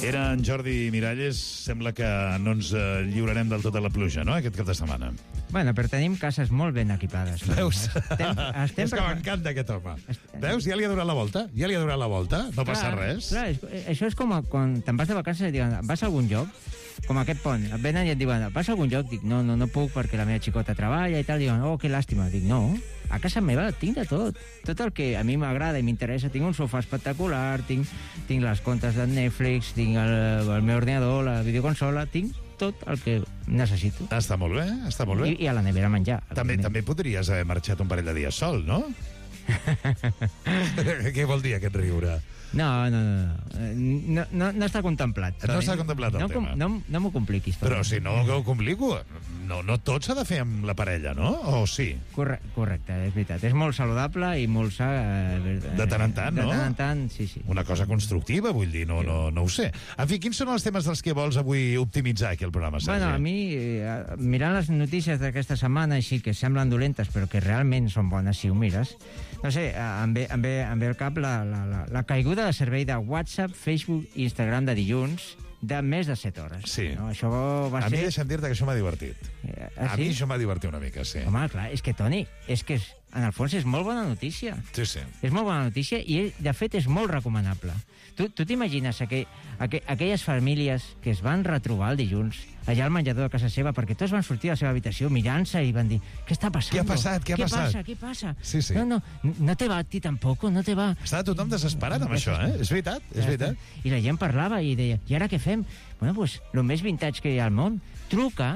Era en Jordi Miralles. Sembla que no ens lliurarem del tot a la pluja, no?, aquest cap de setmana. Bueno, però tenim cases molt ben equipades. Veus? És que m'encanta aquest home. Veus? Ja li ha donat la volta. No passa res. Clar, això és com quan te'n vas de vacances i et diuen, vas a algun lloc, com aquest pont, et venen i et diuen, vas a algun lloc? Dic, no puc perquè la meva xicota treballa i tal. Diuen, oh, que làstima. Dic, no, a casa meva tinc de tot. Tot el que a mi m'agrada i m'interessa. Tinc un sofà espectacular, tinc les comptes de Netflix, tinc el meu ordinador, la videoconsola, tinc tot el que necessito. Està molt bé, està molt bé. I a la nevera menjar. També podries haver marxat un parell de dies sol, no? Què vol dir aquest riure? No està contemplat. No està contemplat el tema. No m'ho compliquis. Però si no ho complico, no tot s'ha de fer amb la parella, no? O sí? Correcte, és veritat. És molt saludable i molt sa... De tant en tant, no? De tant en tant, sí. Una cosa constructiva, vull dir, no ho sé. En fi, quins són els temes dels que vols avui optimitzar aquí al programa, Sergi? Bueno, a mi, mirant les notícies d'aquesta setmana, així que semblen dolentes, però que realment són bones si ho mires, no sé, em ve al cap la caiguda de servei de WhatsApp, Facebook i Instagram de dilluns de més de 7 hores. Sí. No, això va ser... A mi deixa'm dir-te que això m'ha divertit. A mi això m'ha divertit una mica, sí. Home, clar, és que, Toni, és que en el fons és molt bona notícia. Sí, sí. És molt bona notícia i, de fet, és molt recomanable. Tu t'imagines aquelles famílies que es van retrobar el dilluns allà al menjador de casa seva perquè tots van sortir a la seva habitació mirant-se i van dir, què està passant? Què ha passat? Què passa? Sí, sí. No te va a ti tampoc, no te va... Estava tothom desesperat amb això, eh? És veritat. I la gent parlava i deia, i ara què fem? Bueno, doncs, el més vintage que hi ha al món, truca,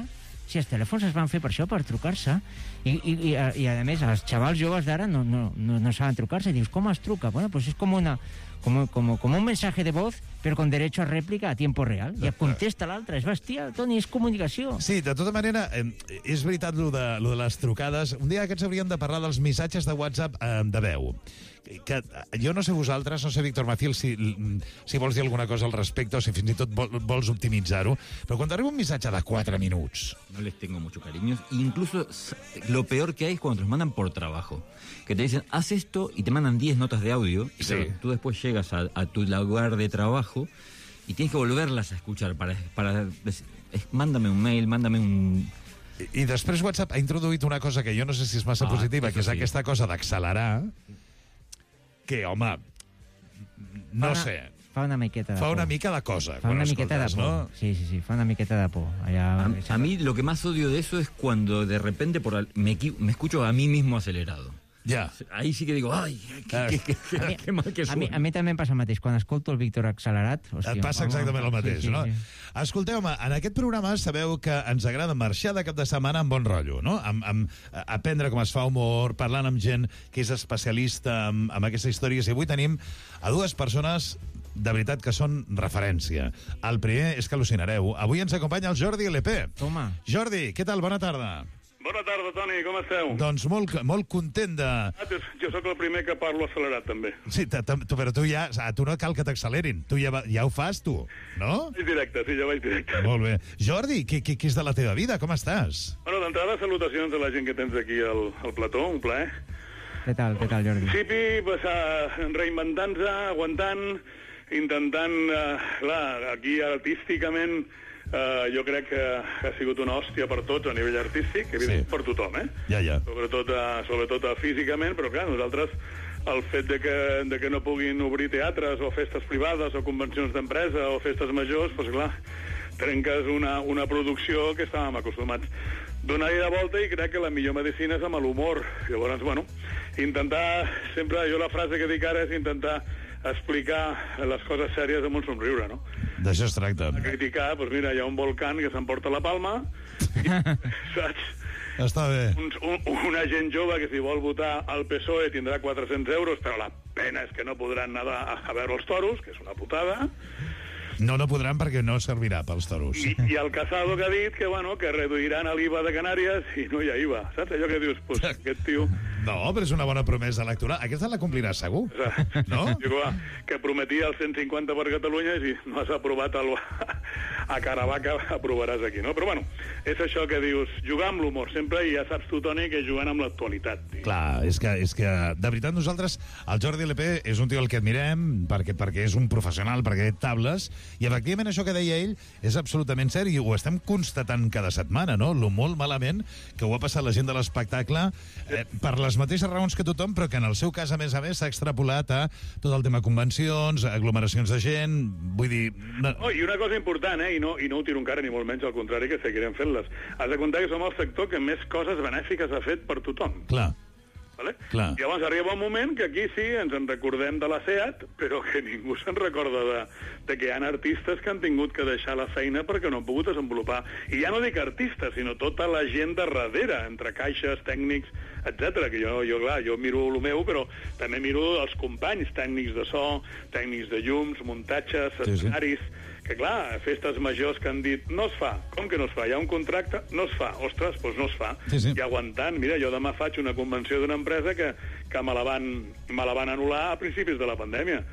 si els telèfons es van fer per això, per trucar-se, i a més, els xavals joves d'ara no saben trucar-se, i dius, com es truca? Bueno, doncs és com un mensaje de voz, però con derecho a rèplica a tiempo real. I et contesta l'altre. És bestial, Toni, és comunicació. Sí, de tota manera, és veritat lo de les trucades. Un dia aquests hauríem de parlar dels missatges de WhatsApp de veu. Que jo no sé vosaltres, no sé, Víctor Maciel, si vols dir alguna cosa al respecte o si fins i tot vols optimitzar-ho, però quan arriba un missatge de 4 minuts... No les tengo mucho cariño. Incluso lo peor que hay es cuando te los mandan por trabajo. Que te dicen, haz esto, y te mandan 10 notas de audio. Y claro, tú después llegas a tu lugar de trabajo y tienes que volverlas a escuchar para mándame un mail, mándame un... I després WhatsApp ha introduït una cosa que jo no sé si és massa positiva, que és aquesta cosa d'accelerar, que, home, no sé... Fa una miqueta de por. Fa una mica de cosa. Fa una miqueta de por, ¿no? Sí, fa una miqueta de por. A mí lo que más odio de eso es cuando de repente me escucho a mí mismo acelerado. Ja. Ahí sí que digo, ai, que mal que suena. A mi també em passa el mateix. Quan escolto el Víctor accelerat... Hòstia, et passa exactament el mateix, no? Sí. Escolteu-me, en aquest programa sabeu que ens agrada marxar de cap de setmana amb bon rotllo, no? Amb aprendre com es fa humor, parlant amb gent que és especialista en aquestes històries. I avui tenim a dues persones de veritat que són referència. El primer és que al·lucinareu. Avui ens acompanya el Jordi LP. Toma. Jordi, què tal? Bona tarda. Bona tarda, Toni, com esteu? Doncs molt content de... Jo sóc el primer que parlo accelerat, també. Sí, però tu no cal que t'accelerin. Tu ja ho fas, tu, no? És directe, sí, ja vaig directe. Molt bé. Jordi, què és de la teva vida? Com estàs? Bueno, d'entrada, salutacions a la gent que tens aquí al plató, un plaer. Què tal, Jordi? En principi, reinventant-se, aguantant, intentant, clar, aquí artísticament... jo crec que ha sigut una hòstia per tots a nivell artístic, evidentment per tothom, Ja. Sobretot físicament, però clar, nosaltres el fet de que no puguin obrir teatres o festes privades o convencions d'empresa o festes majors, doncs clar, trenques una producció que estàvem acostumats. Donar-hi de volta i crec que la millor medicina és amb l'humor. Llavors, bueno, intentar, sempre, jo la frase que dic ara és intentar explicar les coses sèries amb un somriure, no? D'això es tracta. A criticar, doncs mira, hi ha un volcán que s'emporta la palma, saps? Està bé. Una gent jove que si vol votar al PSOE tindrà 400 euros, però la pena és que no podran anar a veure els toros, que és una putada. No podran perquè no servirà pels toros. I el Casado que ha dit que, bueno, que reduiran l'IVA de Canàries i no hi ha IVA. Saps allò que dius? Pues, aquest tio... No, però és una bona promesa electoral. Aquesta la complirà segur, no? Que prometia el 150 per Catalunya i si no has aprovat a Caravaca aprovaràs aquí, no? Però, bueno, és això que dius, jugar amb l'humor sempre, i ja saps tu, Toni, que jugant amb l'actualitat. Clar, és que de veritat nosaltres, el Jordi LP és un tio al que admirem perquè és un professional, perquè té tables, i efectivament això que deia ell és absolutament cert i ho estem constatant cada setmana, no? Lo molt malament que ho ha passat la gent de l'espectacle per les mateixes raons que tothom, però que en el seu cas, a més, s'ha extrapolat a tot el tema convencions, aglomeracions de gent, vull dir... I una cosa important, i no ho tiro encara, ni molt menys, al contrari, que seguirem fent-les. Has de comptar que som el sector que més coses benèfiques ha fet per tothom. Clar. Vale? Clar. I llavors arriba un moment que aquí sí ens en recordem de la SEAT, però que ningú se'n recorda de que hi ha artistes que han tingut que deixar la feina perquè no han pogut desenvolupar. I ja no dic artistes, sinó tota la gent de darrere, entre caixes, tècnics, etc. Que jo miro el meu, però també miro els companys, tècnics de so, tècnics de llums, muntatges, escenaris... Que clar, festes majors que han dit no es fa. Com que no es fa? Hi ha un contracte? No es fa. Ostres, doncs no es fa. Sí. I aguantant. Mira, jo demà faig una convenció d'una empresa que me la van anul·lar a principis de la pandèmia.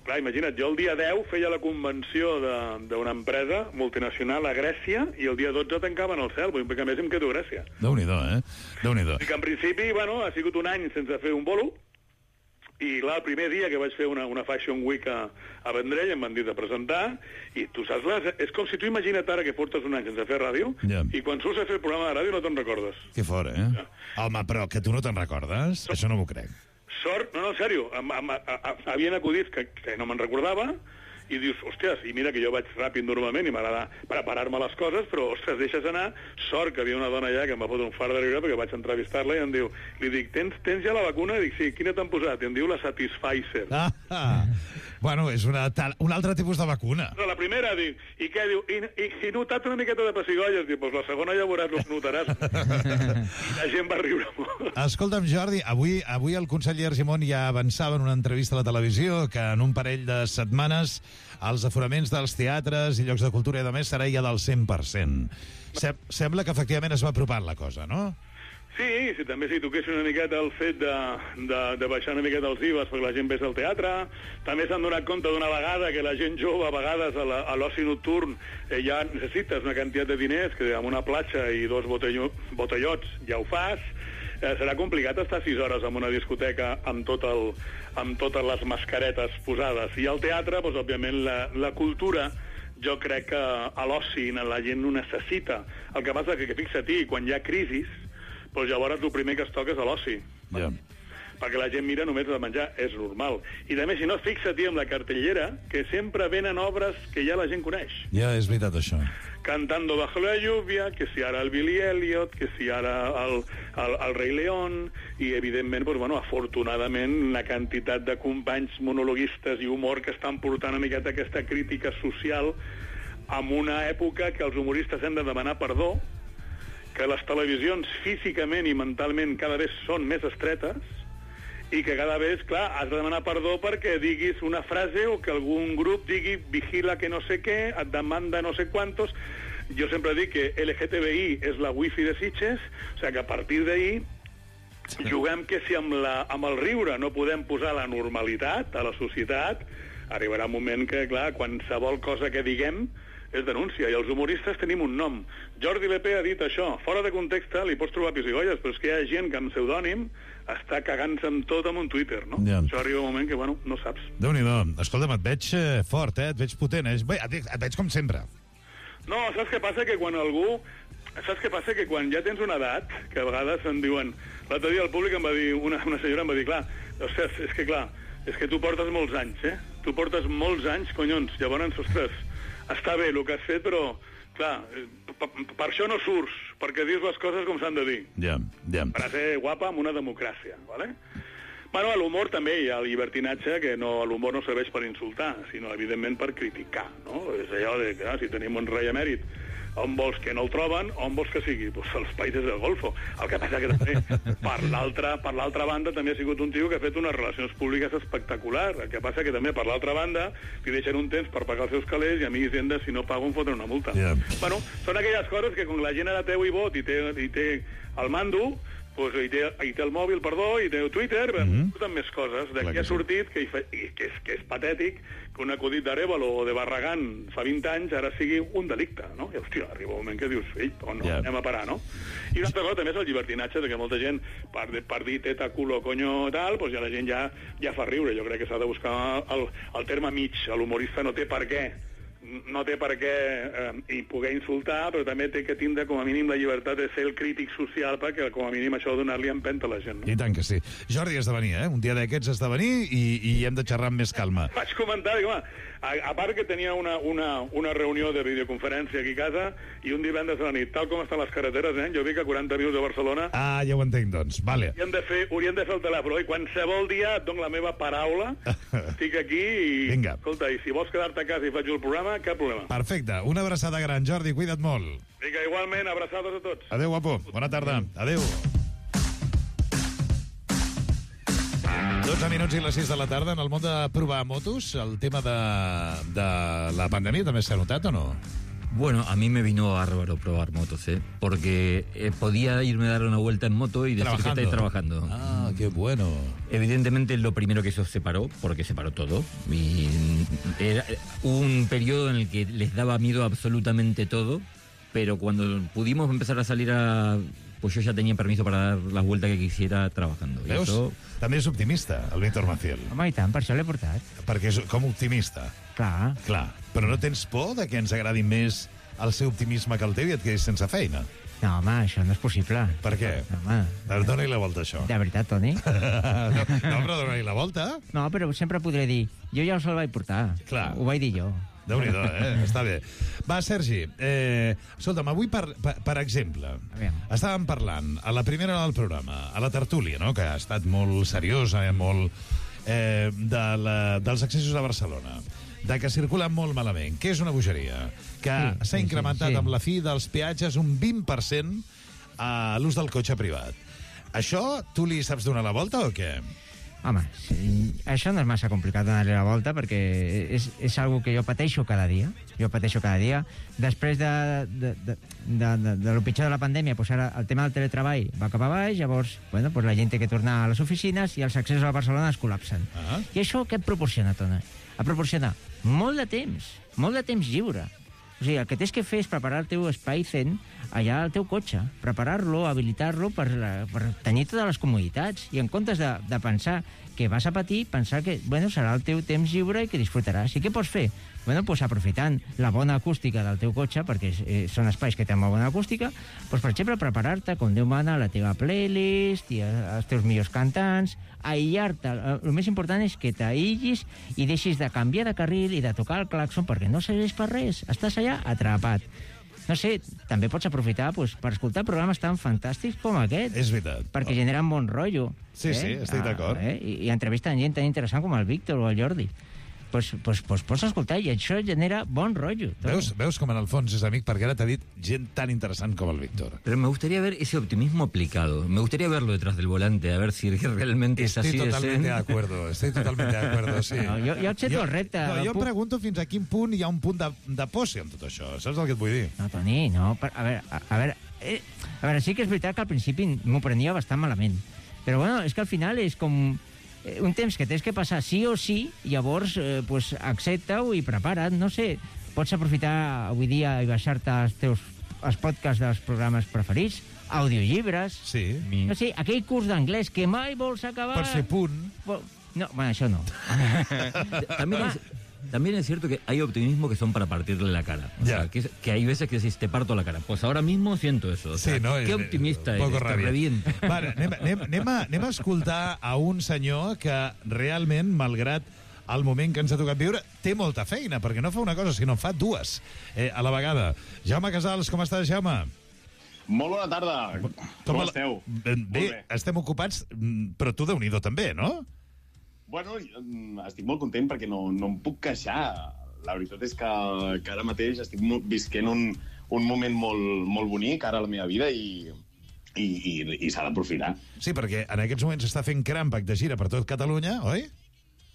Clar, imagina't, jo el dia 10 feia la convenció d'una empresa multinacional a Grècia i el dia 12 tancaven el cel, vull dir que a més em quedo a Grècia. Déu-n'hi-do, Déu-n'hi-do. I que en principi, bueno, ha sigut un any sense fer un bolo, I clar, el primer dia que vaig fer una Fashion Week a Vendrell em van dir de presentar, i tu saps, és com si tu imagina't ara que portes un any sense fer ràdio, i quan surts a fer el programa de ràdio no te'n recordes. Que fora, eh? Home, però que tu no te'n recordes? Això no m'ho crec. Sort, no, en sèrio, havien acudits que no me'n recordava, i dius, hòsties, i mira que jo vaig ràpid normalment i m'agrada preparar-me les coses, però, ostres, deixes anar. Sort que havia una dona allà que em va fotre un fart de riure perquè vaig entrevistar-la i em diu, li dic, tens ja la vacuna? I dic, sí, quina t'han posat? I em diu la Satisfyer. Bueno, és un altre tipus de vacuna. Però la primera, dic, i què? Diu, i notat una miqueta de pessigolles. Diu, doncs la segona ja veuràs, ho notaràs. I la gent va riure molt. Escolta'm, Jordi, avui el conseller Argimon ja avançava en una entrevista a la televisió que en un parell de setmanes els aforaments dels teatres i llocs de cultura i de més serà ja del 100%. Sembla que efectivament es va apropant la cosa, no? Sí, també si toquessin una miqueta el fet de baixar una miqueta els IVAs perquè la gent vés al teatre. També s'han donat compte d'una vegada que la gent jove, a vegades, a l'oci nocturn, ja necessites una quantitat de diners que amb una platja i 2 botellots ja ho fas. Serà complicat estar 6 hores en una discoteca amb totes les mascaretes posades. I al teatre, doncs, òbviament, la cultura, jo crec que a l'oci la gent ho necessita. El que passa és que fixa-t'hi, quan hi ha crisis, doncs llavors el primer que es toca és a l'oci. Ja. Perquè la gent mira només de menjar, és normal. I també, si no, fixa-t'hi amb la cartellera, que sempre venen obres que ja la gent coneix. Ja, és veritat, això. Cantando bajo la lluvia, que si ara el Billy Elliot, que si ara el Rei León, i evidentment, doncs, bueno, afortunadament, la quantitat de companys monologuistes i humor que estan portant una miqueta aquesta crítica social en una època que els humoristes hem de demanar perdó, que les televisions físicament i mentalment cada vegada són més estretes, i que cada vegada, clar, has de demanar perdó perquè diguis una frase o que algun grup digui vigila que no sé què, et demanda no sé quantos. Jo sempre dic que LGTBI és la wifi de Sitges, o sigui que a partir d'ahir juguem que si amb el riure no podem posar la normalitat a la societat, arribarà un moment que, clar, qualsevol cosa que diguem és denúncia, i els humoristes tenim un nom. Jordi Lepé ha dit això, fora de context li pots trobar pessigolles, però és que hi ha gent que amb pseudònim està cagant-se amb tot en un Twitter, no? Ja. Això arriba un moment que, bueno, no saps. Déu-n'hi-do. Escolta'm, et veig fort, et veig potent, Bé, et veig com sempre. No, saps què passa? Que quan algú... Saps què passa? Que quan ja tens una edat, que a vegades em diuen... L'altre dia el públic em va dir, una senyora em va dir, clar, ostres, és que tu portes molts anys, Tu portes molts anys, conyons, llavors, ostres, està bé el que has fet, però, clar, per això no surts, perquè dius les coses com s'han de dir. Ja. Per a ser guapa amb una democràcia, ¿vale? Bueno, a l'humor també hi ha el llibertinatge, que l'humor no serveix per insultar, sinó, evidentment, per criticar, no? És allò de que, si tenim un rei emèrit, on vols que no el troben, on vols que sigui? Doncs els països del Golfo. El que passa que també, per l'altra banda, també ha sigut un tio que ha fet unes relacions públiques espectaculars. El que passa que també, per l'altra banda, li deixen un temps per pagar els seus calés i a mi Hisenda, si no pago, em foten una multa. Yeah. Bueno, són aquelles coses que quan la gent ara té vot i té el mando, pues, i té el mòbil, i té el Twitter, surten més coses. D'aquí ha sortit, que és patètic, que un acudit d'Arevalo o de Barragán fa 20 anys ara sigui un delicte, no? I, hòstia, arriba un moment que dius, on no, anem a parar, no? I una altra cosa també és el llibertinatge, que molta gent, per dir teta, culo, coño, tal, pues ja la gent ja fa riure. Jo crec que s'ha de buscar el terme mig. L'humorista no té per què i poder insultar, però també té que tindre com a mínim la llibertat de ser el crític social, perquè com a mínim això ha de donar-li empenta a la gent, no? I tant que sí. Jordi, has de venir, Un dia d'aquests has de venir i hem de xerrar amb més calma. Vaig comentar, dic, home, a part que tenia una reunió de videoconferència aquí a casa i un divendres a la nit, tal com estan les carreteres, jo dic a 40 minuts de Barcelona... Ah, ja ho entenc, doncs. Vale. Haurien de fer el telèfon, i qualsevol dia et dono la meva paraula, estic aquí i... Vinga. Escolta, i si vols quedar-te a casa i faig el programa, cap problema. Perfecte. Una abraçada gran, Jordi, cuida't molt. Vinga, igualment, abraçades a tots. Adéu, guapo. Bona tarda. Adéu. 12 minuts i les 6 de la tarda. En el món de provar motos, el tema de la pandèmia també s'ha notat o no? Bueno, a mí me vino bárbaro probar motos, porque podía irme a dar una vuelta en moto y decir que estáis trabajando. Ah, qué bueno. Evidentemente lo primero que eso se paró, porque se paró todo. Y era un periodo en el que les daba miedo absolutamente todo, pero cuando pudimos empezar a salir pues yo ya tenía permiso para dar las vueltas que quisiera trabajando. I Veus? això... També és optimista, el Víctor Maciel. Home, i tant, per això l'he portat. Perquè és com optimista. Clar. Clar. Però no tens por de que ens agradi més el seu optimisme que el teu i et quedis sense feina? No, home, això no és possible. Per què? Home. Dóna-hi la volta, això. De veritat, Toni? No, però dóna-hi la volta. No, però sempre podré dir, jo ja us el vaig portar. Clar. Ho vaig dir jo. Déu-n'hi-do, està bé. Va, Sergi, escolta'm, avui, per exemple, estàvem parlant a la primera del programa, a la tertúlia, no?, que ha estat molt seriosa, molt dels accessos a Barcelona, de que circulen molt malament, que és una bogeria, que s'ha incrementat amb la fi dels peatges un 20% a l'ús del cotxe privat. Això tu li saps donar la volta o què? Home, sí, això no és massa complicat donar-li la volta perquè és algo que jo pateixo cada dia. Després de lo pitjor de la pandèmia, pues ara el tema del teletreball va cap a baix, llavors, bueno, pues la gent té que tornar a les oficines i els accessos a Barcelona es col·lapsen. I això què et proporciona, Toni? Et proporciona molt de temps lliure. O sigui, el que tens que fer és preparar el teu espai zen allà al teu cotxe, preparar-lo, habilitar-lo per tenir totes les comoditats i en comptes de pensar que vas a patir, pensar que bueno, serà el teu temps lliure i que disfrutaràs. I què pots fer? Bueno, pues aprofitant la bona acústica del teu cotxe, perquè són espais que tenen molt bona acústica, pues, per exemple, preparar-te, com Déu mana, la teva playlist i els teus millors cantants, aïllar-te. El més important és que t'aïllis i deixis de canviar de carril i de tocar el claxon perquè no serveix per res. Estàs allà atrapat. No sé, també pots aprofitar pues, per escoltar programes tan fantàstics com aquest. És veritat. Perquè generen bon rotllo. Sí, sí, estic d'acord. I entrevisten gent tan interessant com el Víctor o el Jordi. Pues pots escoltar i això genera bon rotllo. Veus com en el fons és amic perquè ara t'ha dit gent tan interessant com el Víctor. Pero me gustaría ver ese optimismo aplicado. Me gustaría verlo detrás del volante, a ver si realmente es así de zen. Estic totalment d'acord, sí. No, jo accepto el repte. No, jo em pregunto fins a quin punt hi ha un punt de posse en tot això. Saps el que et vull dir? No, Toni, no. A veure, sí que és veritat que al principi m'ho prenia bastant malament. Però bueno, és que al final és com un temps que tens que passar sí o sí, llavors pues, accepta-ho i prepara't, no sé, pots aprofitar avui dia i baixar-te els podcasts dels programes preferits, audiollibres, sí. No sé, aquell curs d'anglès que mai vols acabar... Per fer punt. No, bueno, això no. También es cierto que hay optimismo que son para partirle la cara. O sea, que hay veces que decís, te parto la cara. Pues ahora mismo siento eso. O sea, sí, no, qué optimista eres, te reviento. Vale, anem a escoltar a un senyor que realment, malgrat el moment que ens ha tocat viure, té molta feina, perquè no fa una cosa, sinó fa dues a la vegada. Jaume Casals, com estàs, Jaume? Molt bona tarda. Com esteu? Bé, estem ocupats, però tu Déu-n'hi-do també, no? Bueno, estic molt content perquè no em puc queixar. La veritat és que ara mateix estic visquent un moment molt bonic ara a la meva vida i s'ha d'aprofitar. Sí, perquè en aquests moments s'està fent Crampac de gira per tot Catalunya, oi?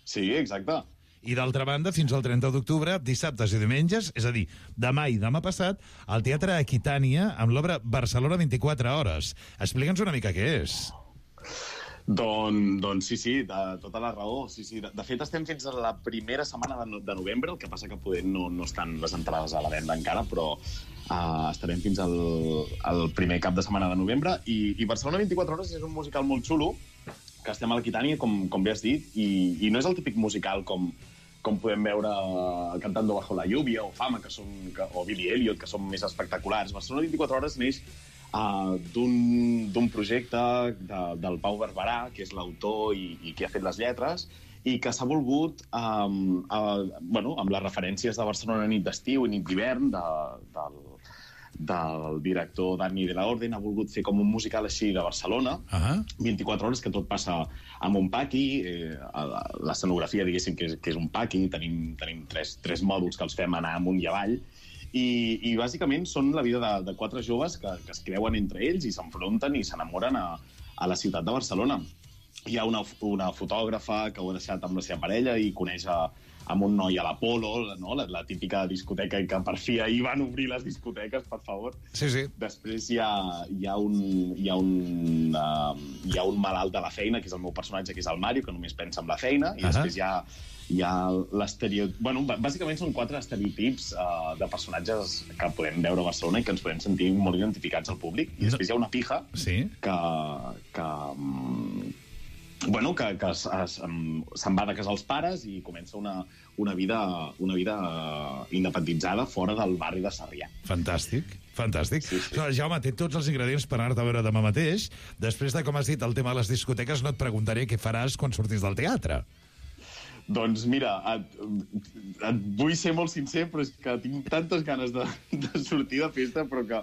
Sí, exacte. I d'altra banda, fins al 30 d'octubre, dissabtes i diumenges, és a dir, demà i demà passat, al Teatre Aquitània amb l'obra Barcelona 24 hores. Explica'ns una mica què és. Doncs sí, tota la raó. Sí. De fet, estem fins a la primera setmana de novembre, el que passa que poder no estan les entrades a la venda encara, però estarem fins al primer cap de setmana de novembre. I Barcelona 24 hores és un musical molt xulo, que estem a l'Aquitània, com bé has dit, i no és el típic musical com podem veure Cantando bajo la lluvia o Fama, o Billy Elliot, que són més espectaculars. Barcelona 24 hores neix d'un projecte del Pau Barberà, que és l'autor i que ha fet les lletres, i que s'ha volgut, amb les referències de Barcelona nit d'estiu i nit d'hivern, del director Dani de la Orden, ha volgut fer com un musical així de Barcelona, 24 hores, que tot passa amb un paqui, l'escenografia, diguéssim, que és un paqui, tenim tres mòduls que els fem anar amunt i avall, i bàsicament són la vida de quatre joves que es creuen entre ells i s'enfronten i s'enamoren a la ciutat de Barcelona. Hi ha una fotògrafa que ho ha deixat amb la seva parella i coneix a amb un noi a l'Apolo, no? La típica discoteca que per fi ahir van obrir les discoteques, per favor. Sí. Després hi ha un malalt de la feina, que és el meu personatge, que és el Mario, que només pensa en la feina, i després hi ha l'estereotip... Bueno, bàsicament són 4 estereotips de personatges que podem veure a Barcelona i que ens podem sentir molt identificats al públic. I després hi ha una pija que se'n va de casa als pares i comença una vida independitzada fora del barri de Sarrià. Fantàstic. Jaume, té tots els ingredients per anar-te a veure demà mateix. Després de com has dit el tema de les discoteques, no et preguntaré què faràs quan surtis del teatre. Doncs mira, et vull ser molt sincer, però és que tinc tantes ganes de sortir de festa, però que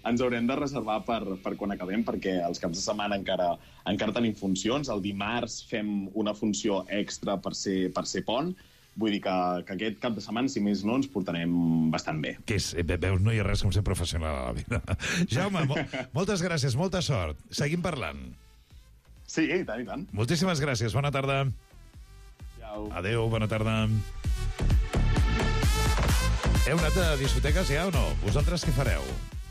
ens haurem de reservar per quan acabem, perquè els caps de setmana encara tenim funcions. El dimarts fem una funció extra per ser pont. Vull dir que aquest cap de setmana, si més no, ens portarem bastant bé. Veus, no hi ha res com ser professional a la vida. Jaume, moltes gràcies, molta sort. Seguim parlant. Sí, i tant. Moltíssimes gràcies, bona tarda. Adéu, bona tarda. Heu anat a discoteques ja o no? Vosaltres què fareu?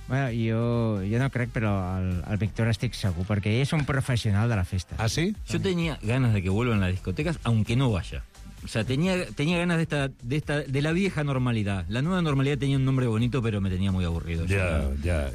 Bueno, jo no crec, però el Víctor estic segur, perquè ell és un professional de la festa. ¿Ah, sí? Yo tenía ganas de que vuelvan las discotecas, aunque no vaya. O sea, tenía ganas de la vieja normalidad. La nueva normalidad tenía un nombre bonito, pero me tenía muy aburrido. Ya.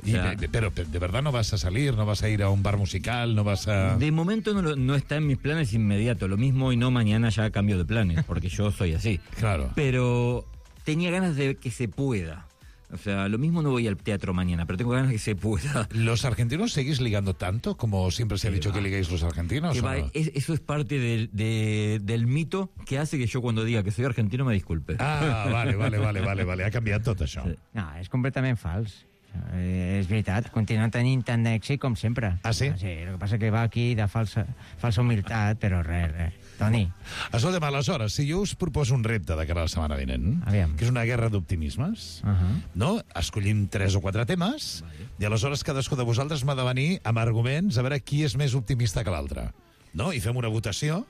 Pero de verdad no vas a salir, no vas a ir a un bar musical, no vas a... De momento no está en mis planes inmediatos. Lo mismo y no mañana ya cambio de planes, porque yo soy así. Claro. Pero tenía ganas de que se pueda. O sea, lo mismo no voy al teatro mañana, pero tengo ganas de que se pueda. ¿Los argentinos seguís ligando tanto como siempre se ha dicho que ligáis los argentinos? No? Eso es parte del mito que hace que yo cuando diga que soy argentino me disculpe. Ah, vale. Ha canviat tot això. Sí. No, és completament fals. És veritat, continuen tenint tant d'èxit com sempre. Ah, sí? Sí, el que passa que va aquí de falsa humilitat, però res. Toni. Escolta'm, aleshores, si jo us proposo un repte de cara a la setmana vinent, que és una guerra d'optimismes, no? Escollim 3 o 4 temes, i aleshores cadascú de vosaltres m'ha de venir amb arguments a veure qui és més optimista que l'altre. No? I fem una votació.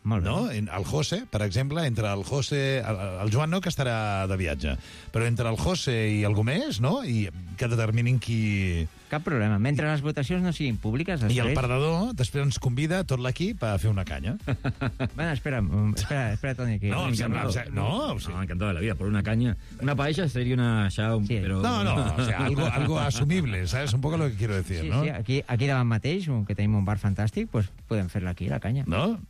Molt bé. No? El José, per exemple, entre el José... El Joan no, que estarà de viatge, però entre el José i algú més, no? I que determinin qui... Cap problema. Mentre les votacions no siguin públiques... Després... I el perdedor després ens convida tot l'equip a fer una canya. Bueno, espera, Toni. Que... No, encantado de la vida. Por una caña. Una paella sería una... Ya, sí. Pero... No, o sea, algo asumible, ¿sabes? Un poco lo que quiero decir, ¿no? Sí, aquí davant mateix, que tenim un bar fantàstic, pues podem fer-la aquí, la canya. No?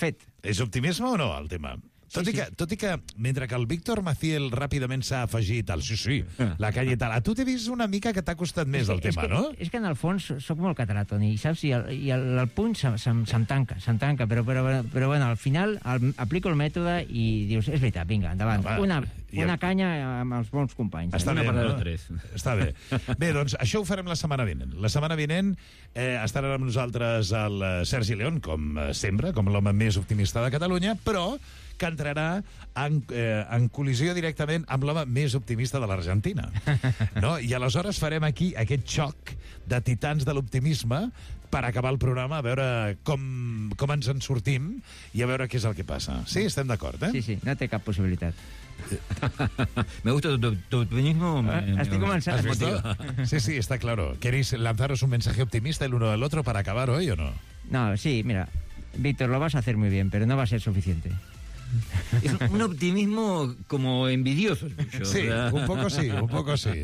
Fet. És optimisme o no, el tema? Tot i que, mentre que el Víctor Maciel ràpidament s'ha afegit al la calle tal, a tu t'he vist una mica que t'ha costat més el tema, no? És que en el fons soc molt català, Toni, saps? I el punt se'm tanca, però bueno, al final aplico el mètode i dius, és veritat, vinga, endavant. Una canya amb els bons companys. Està bé, no? Està bé. Bé, doncs això ho farem la setmana vinent. La setmana vinent estarà amb nosaltres el Sergi León, com sempre, com l'home més optimista de Catalunya, però que entrarà en col·lisió directament amb l'home més optimista de l'Argentina. No? I aleshores farem aquí aquest xoc de titans de l'optimisme per acabar el programa, a veure com ens en sortim i a veure què és el que passa. Sí, estem d'acord, eh? Sí, no té cap possibilitat. Me gusta tu optimismo. Estic començant a motivar. Sí, está claro. ¿Queréis lanzaros un mensaje optimista el uno del otro para acabar hoy o no? No, sí, mira, Víctor, lo vas a hacer muy bien, pero no va a ser suficiente. Es un optimismo como envidioso. Sí, un poco sí.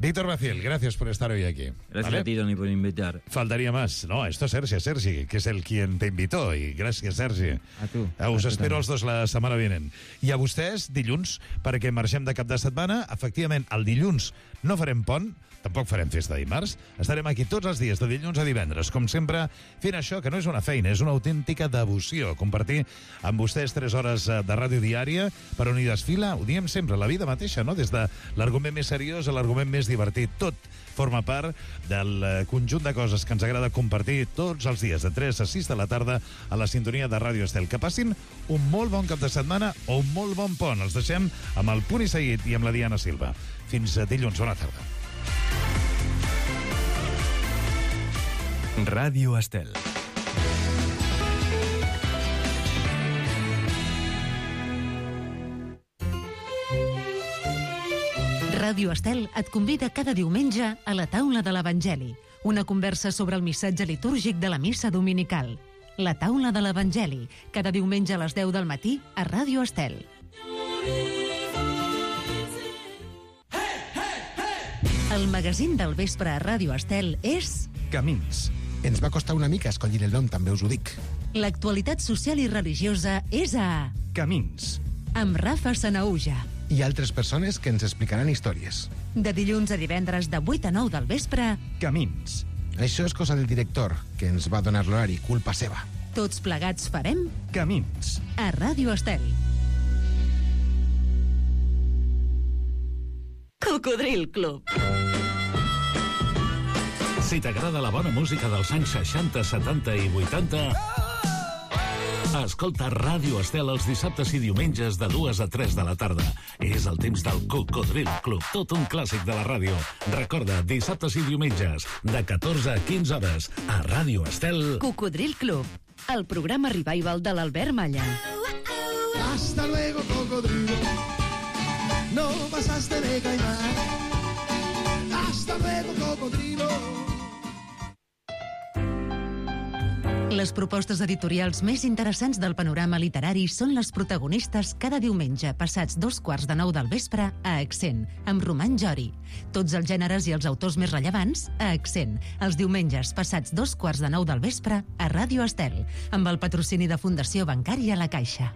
Víctor Maciel, gracias por estar hoy aquí. Gracias a ti, Toni, por invitar. Faltaría más. No, esto es Sergi, que es el quien te invitó. Y gracias, Sergi. A tu. Us espero els dos la setmana vinent. I a vostès, dilluns, perquè marxem de cap de setmana. Efectivament, el dilluns no farem pont, tampoc farem festa dimarts. Estarem aquí tots els dies, de dilluns a divendres, com sempre, fent això, que no és una feina, és una autèntica devoció. Compartir amb vostès 3 hores de ràdio diària per on hi desfila, ho diem sempre, la vida mateixa, no? Des de l'argument més seriós a l'argument més divertit. Tot forma part del conjunt de coses que ens agrada compartir tots els dies, de 3 a 6 de la tarda, a la sintonia de Ràdio Estel. Que passin un molt bon cap de setmana o un molt bon pont. Els deixem amb el Punt i Seguit i amb la Diana Silva. Fins dilluns, bona tarda. Ràdio Estel. Ràdio Estel et convida cada diumenge a la taula de l'Evangeli, una conversa sobre el missatge litúrgic de la missa dominical. La taula de l'Evangeli, cada diumenge a les 10 del matí a Ràdio Estel. El magazín del vespre a Ràdio Estel és... Camins. Ens va costar una mica escollir el nom, també us ho dic. L'actualitat social i religiosa és a... Camins. Amb Rafa Sanaúja. I altres persones que ens explicaran històries. De dilluns a divendres de 8 a 9 del vespre... Camins. Això és cosa del director, que ens va donar l'horari, culpa seva. Tots plegats farem... Camins. A Ràdio Estel. Cocodril Club. Si t'agrada la bona música dels anys 60, 70 i 80... Escolta Ràdio Estel els dissabtes i diumenges de 2 a 3 de la tarda. És el temps del Cocodril Club, tot un clàssic de la ràdio. Recorda, dissabtes i diumenges, de 14 a 15 hores, a Ràdio Estel. Cocodril Club, el programa revival de l'Albert Malla. Hasta luego, cocodrilo. No pasaste de caimán. Hasta luego, cocodrilo. Les propostes editorials més interessants del panorama literari són les protagonistes cada diumenge passats 2:15 del vespre a Accent, amb Roman Jori. Tots els gèneres i els autors més rellevants a Accent, els diumenges passats 2:15 del vespre a Ràdio Estel, amb el patrocini de Fundació Bancària La Caixa.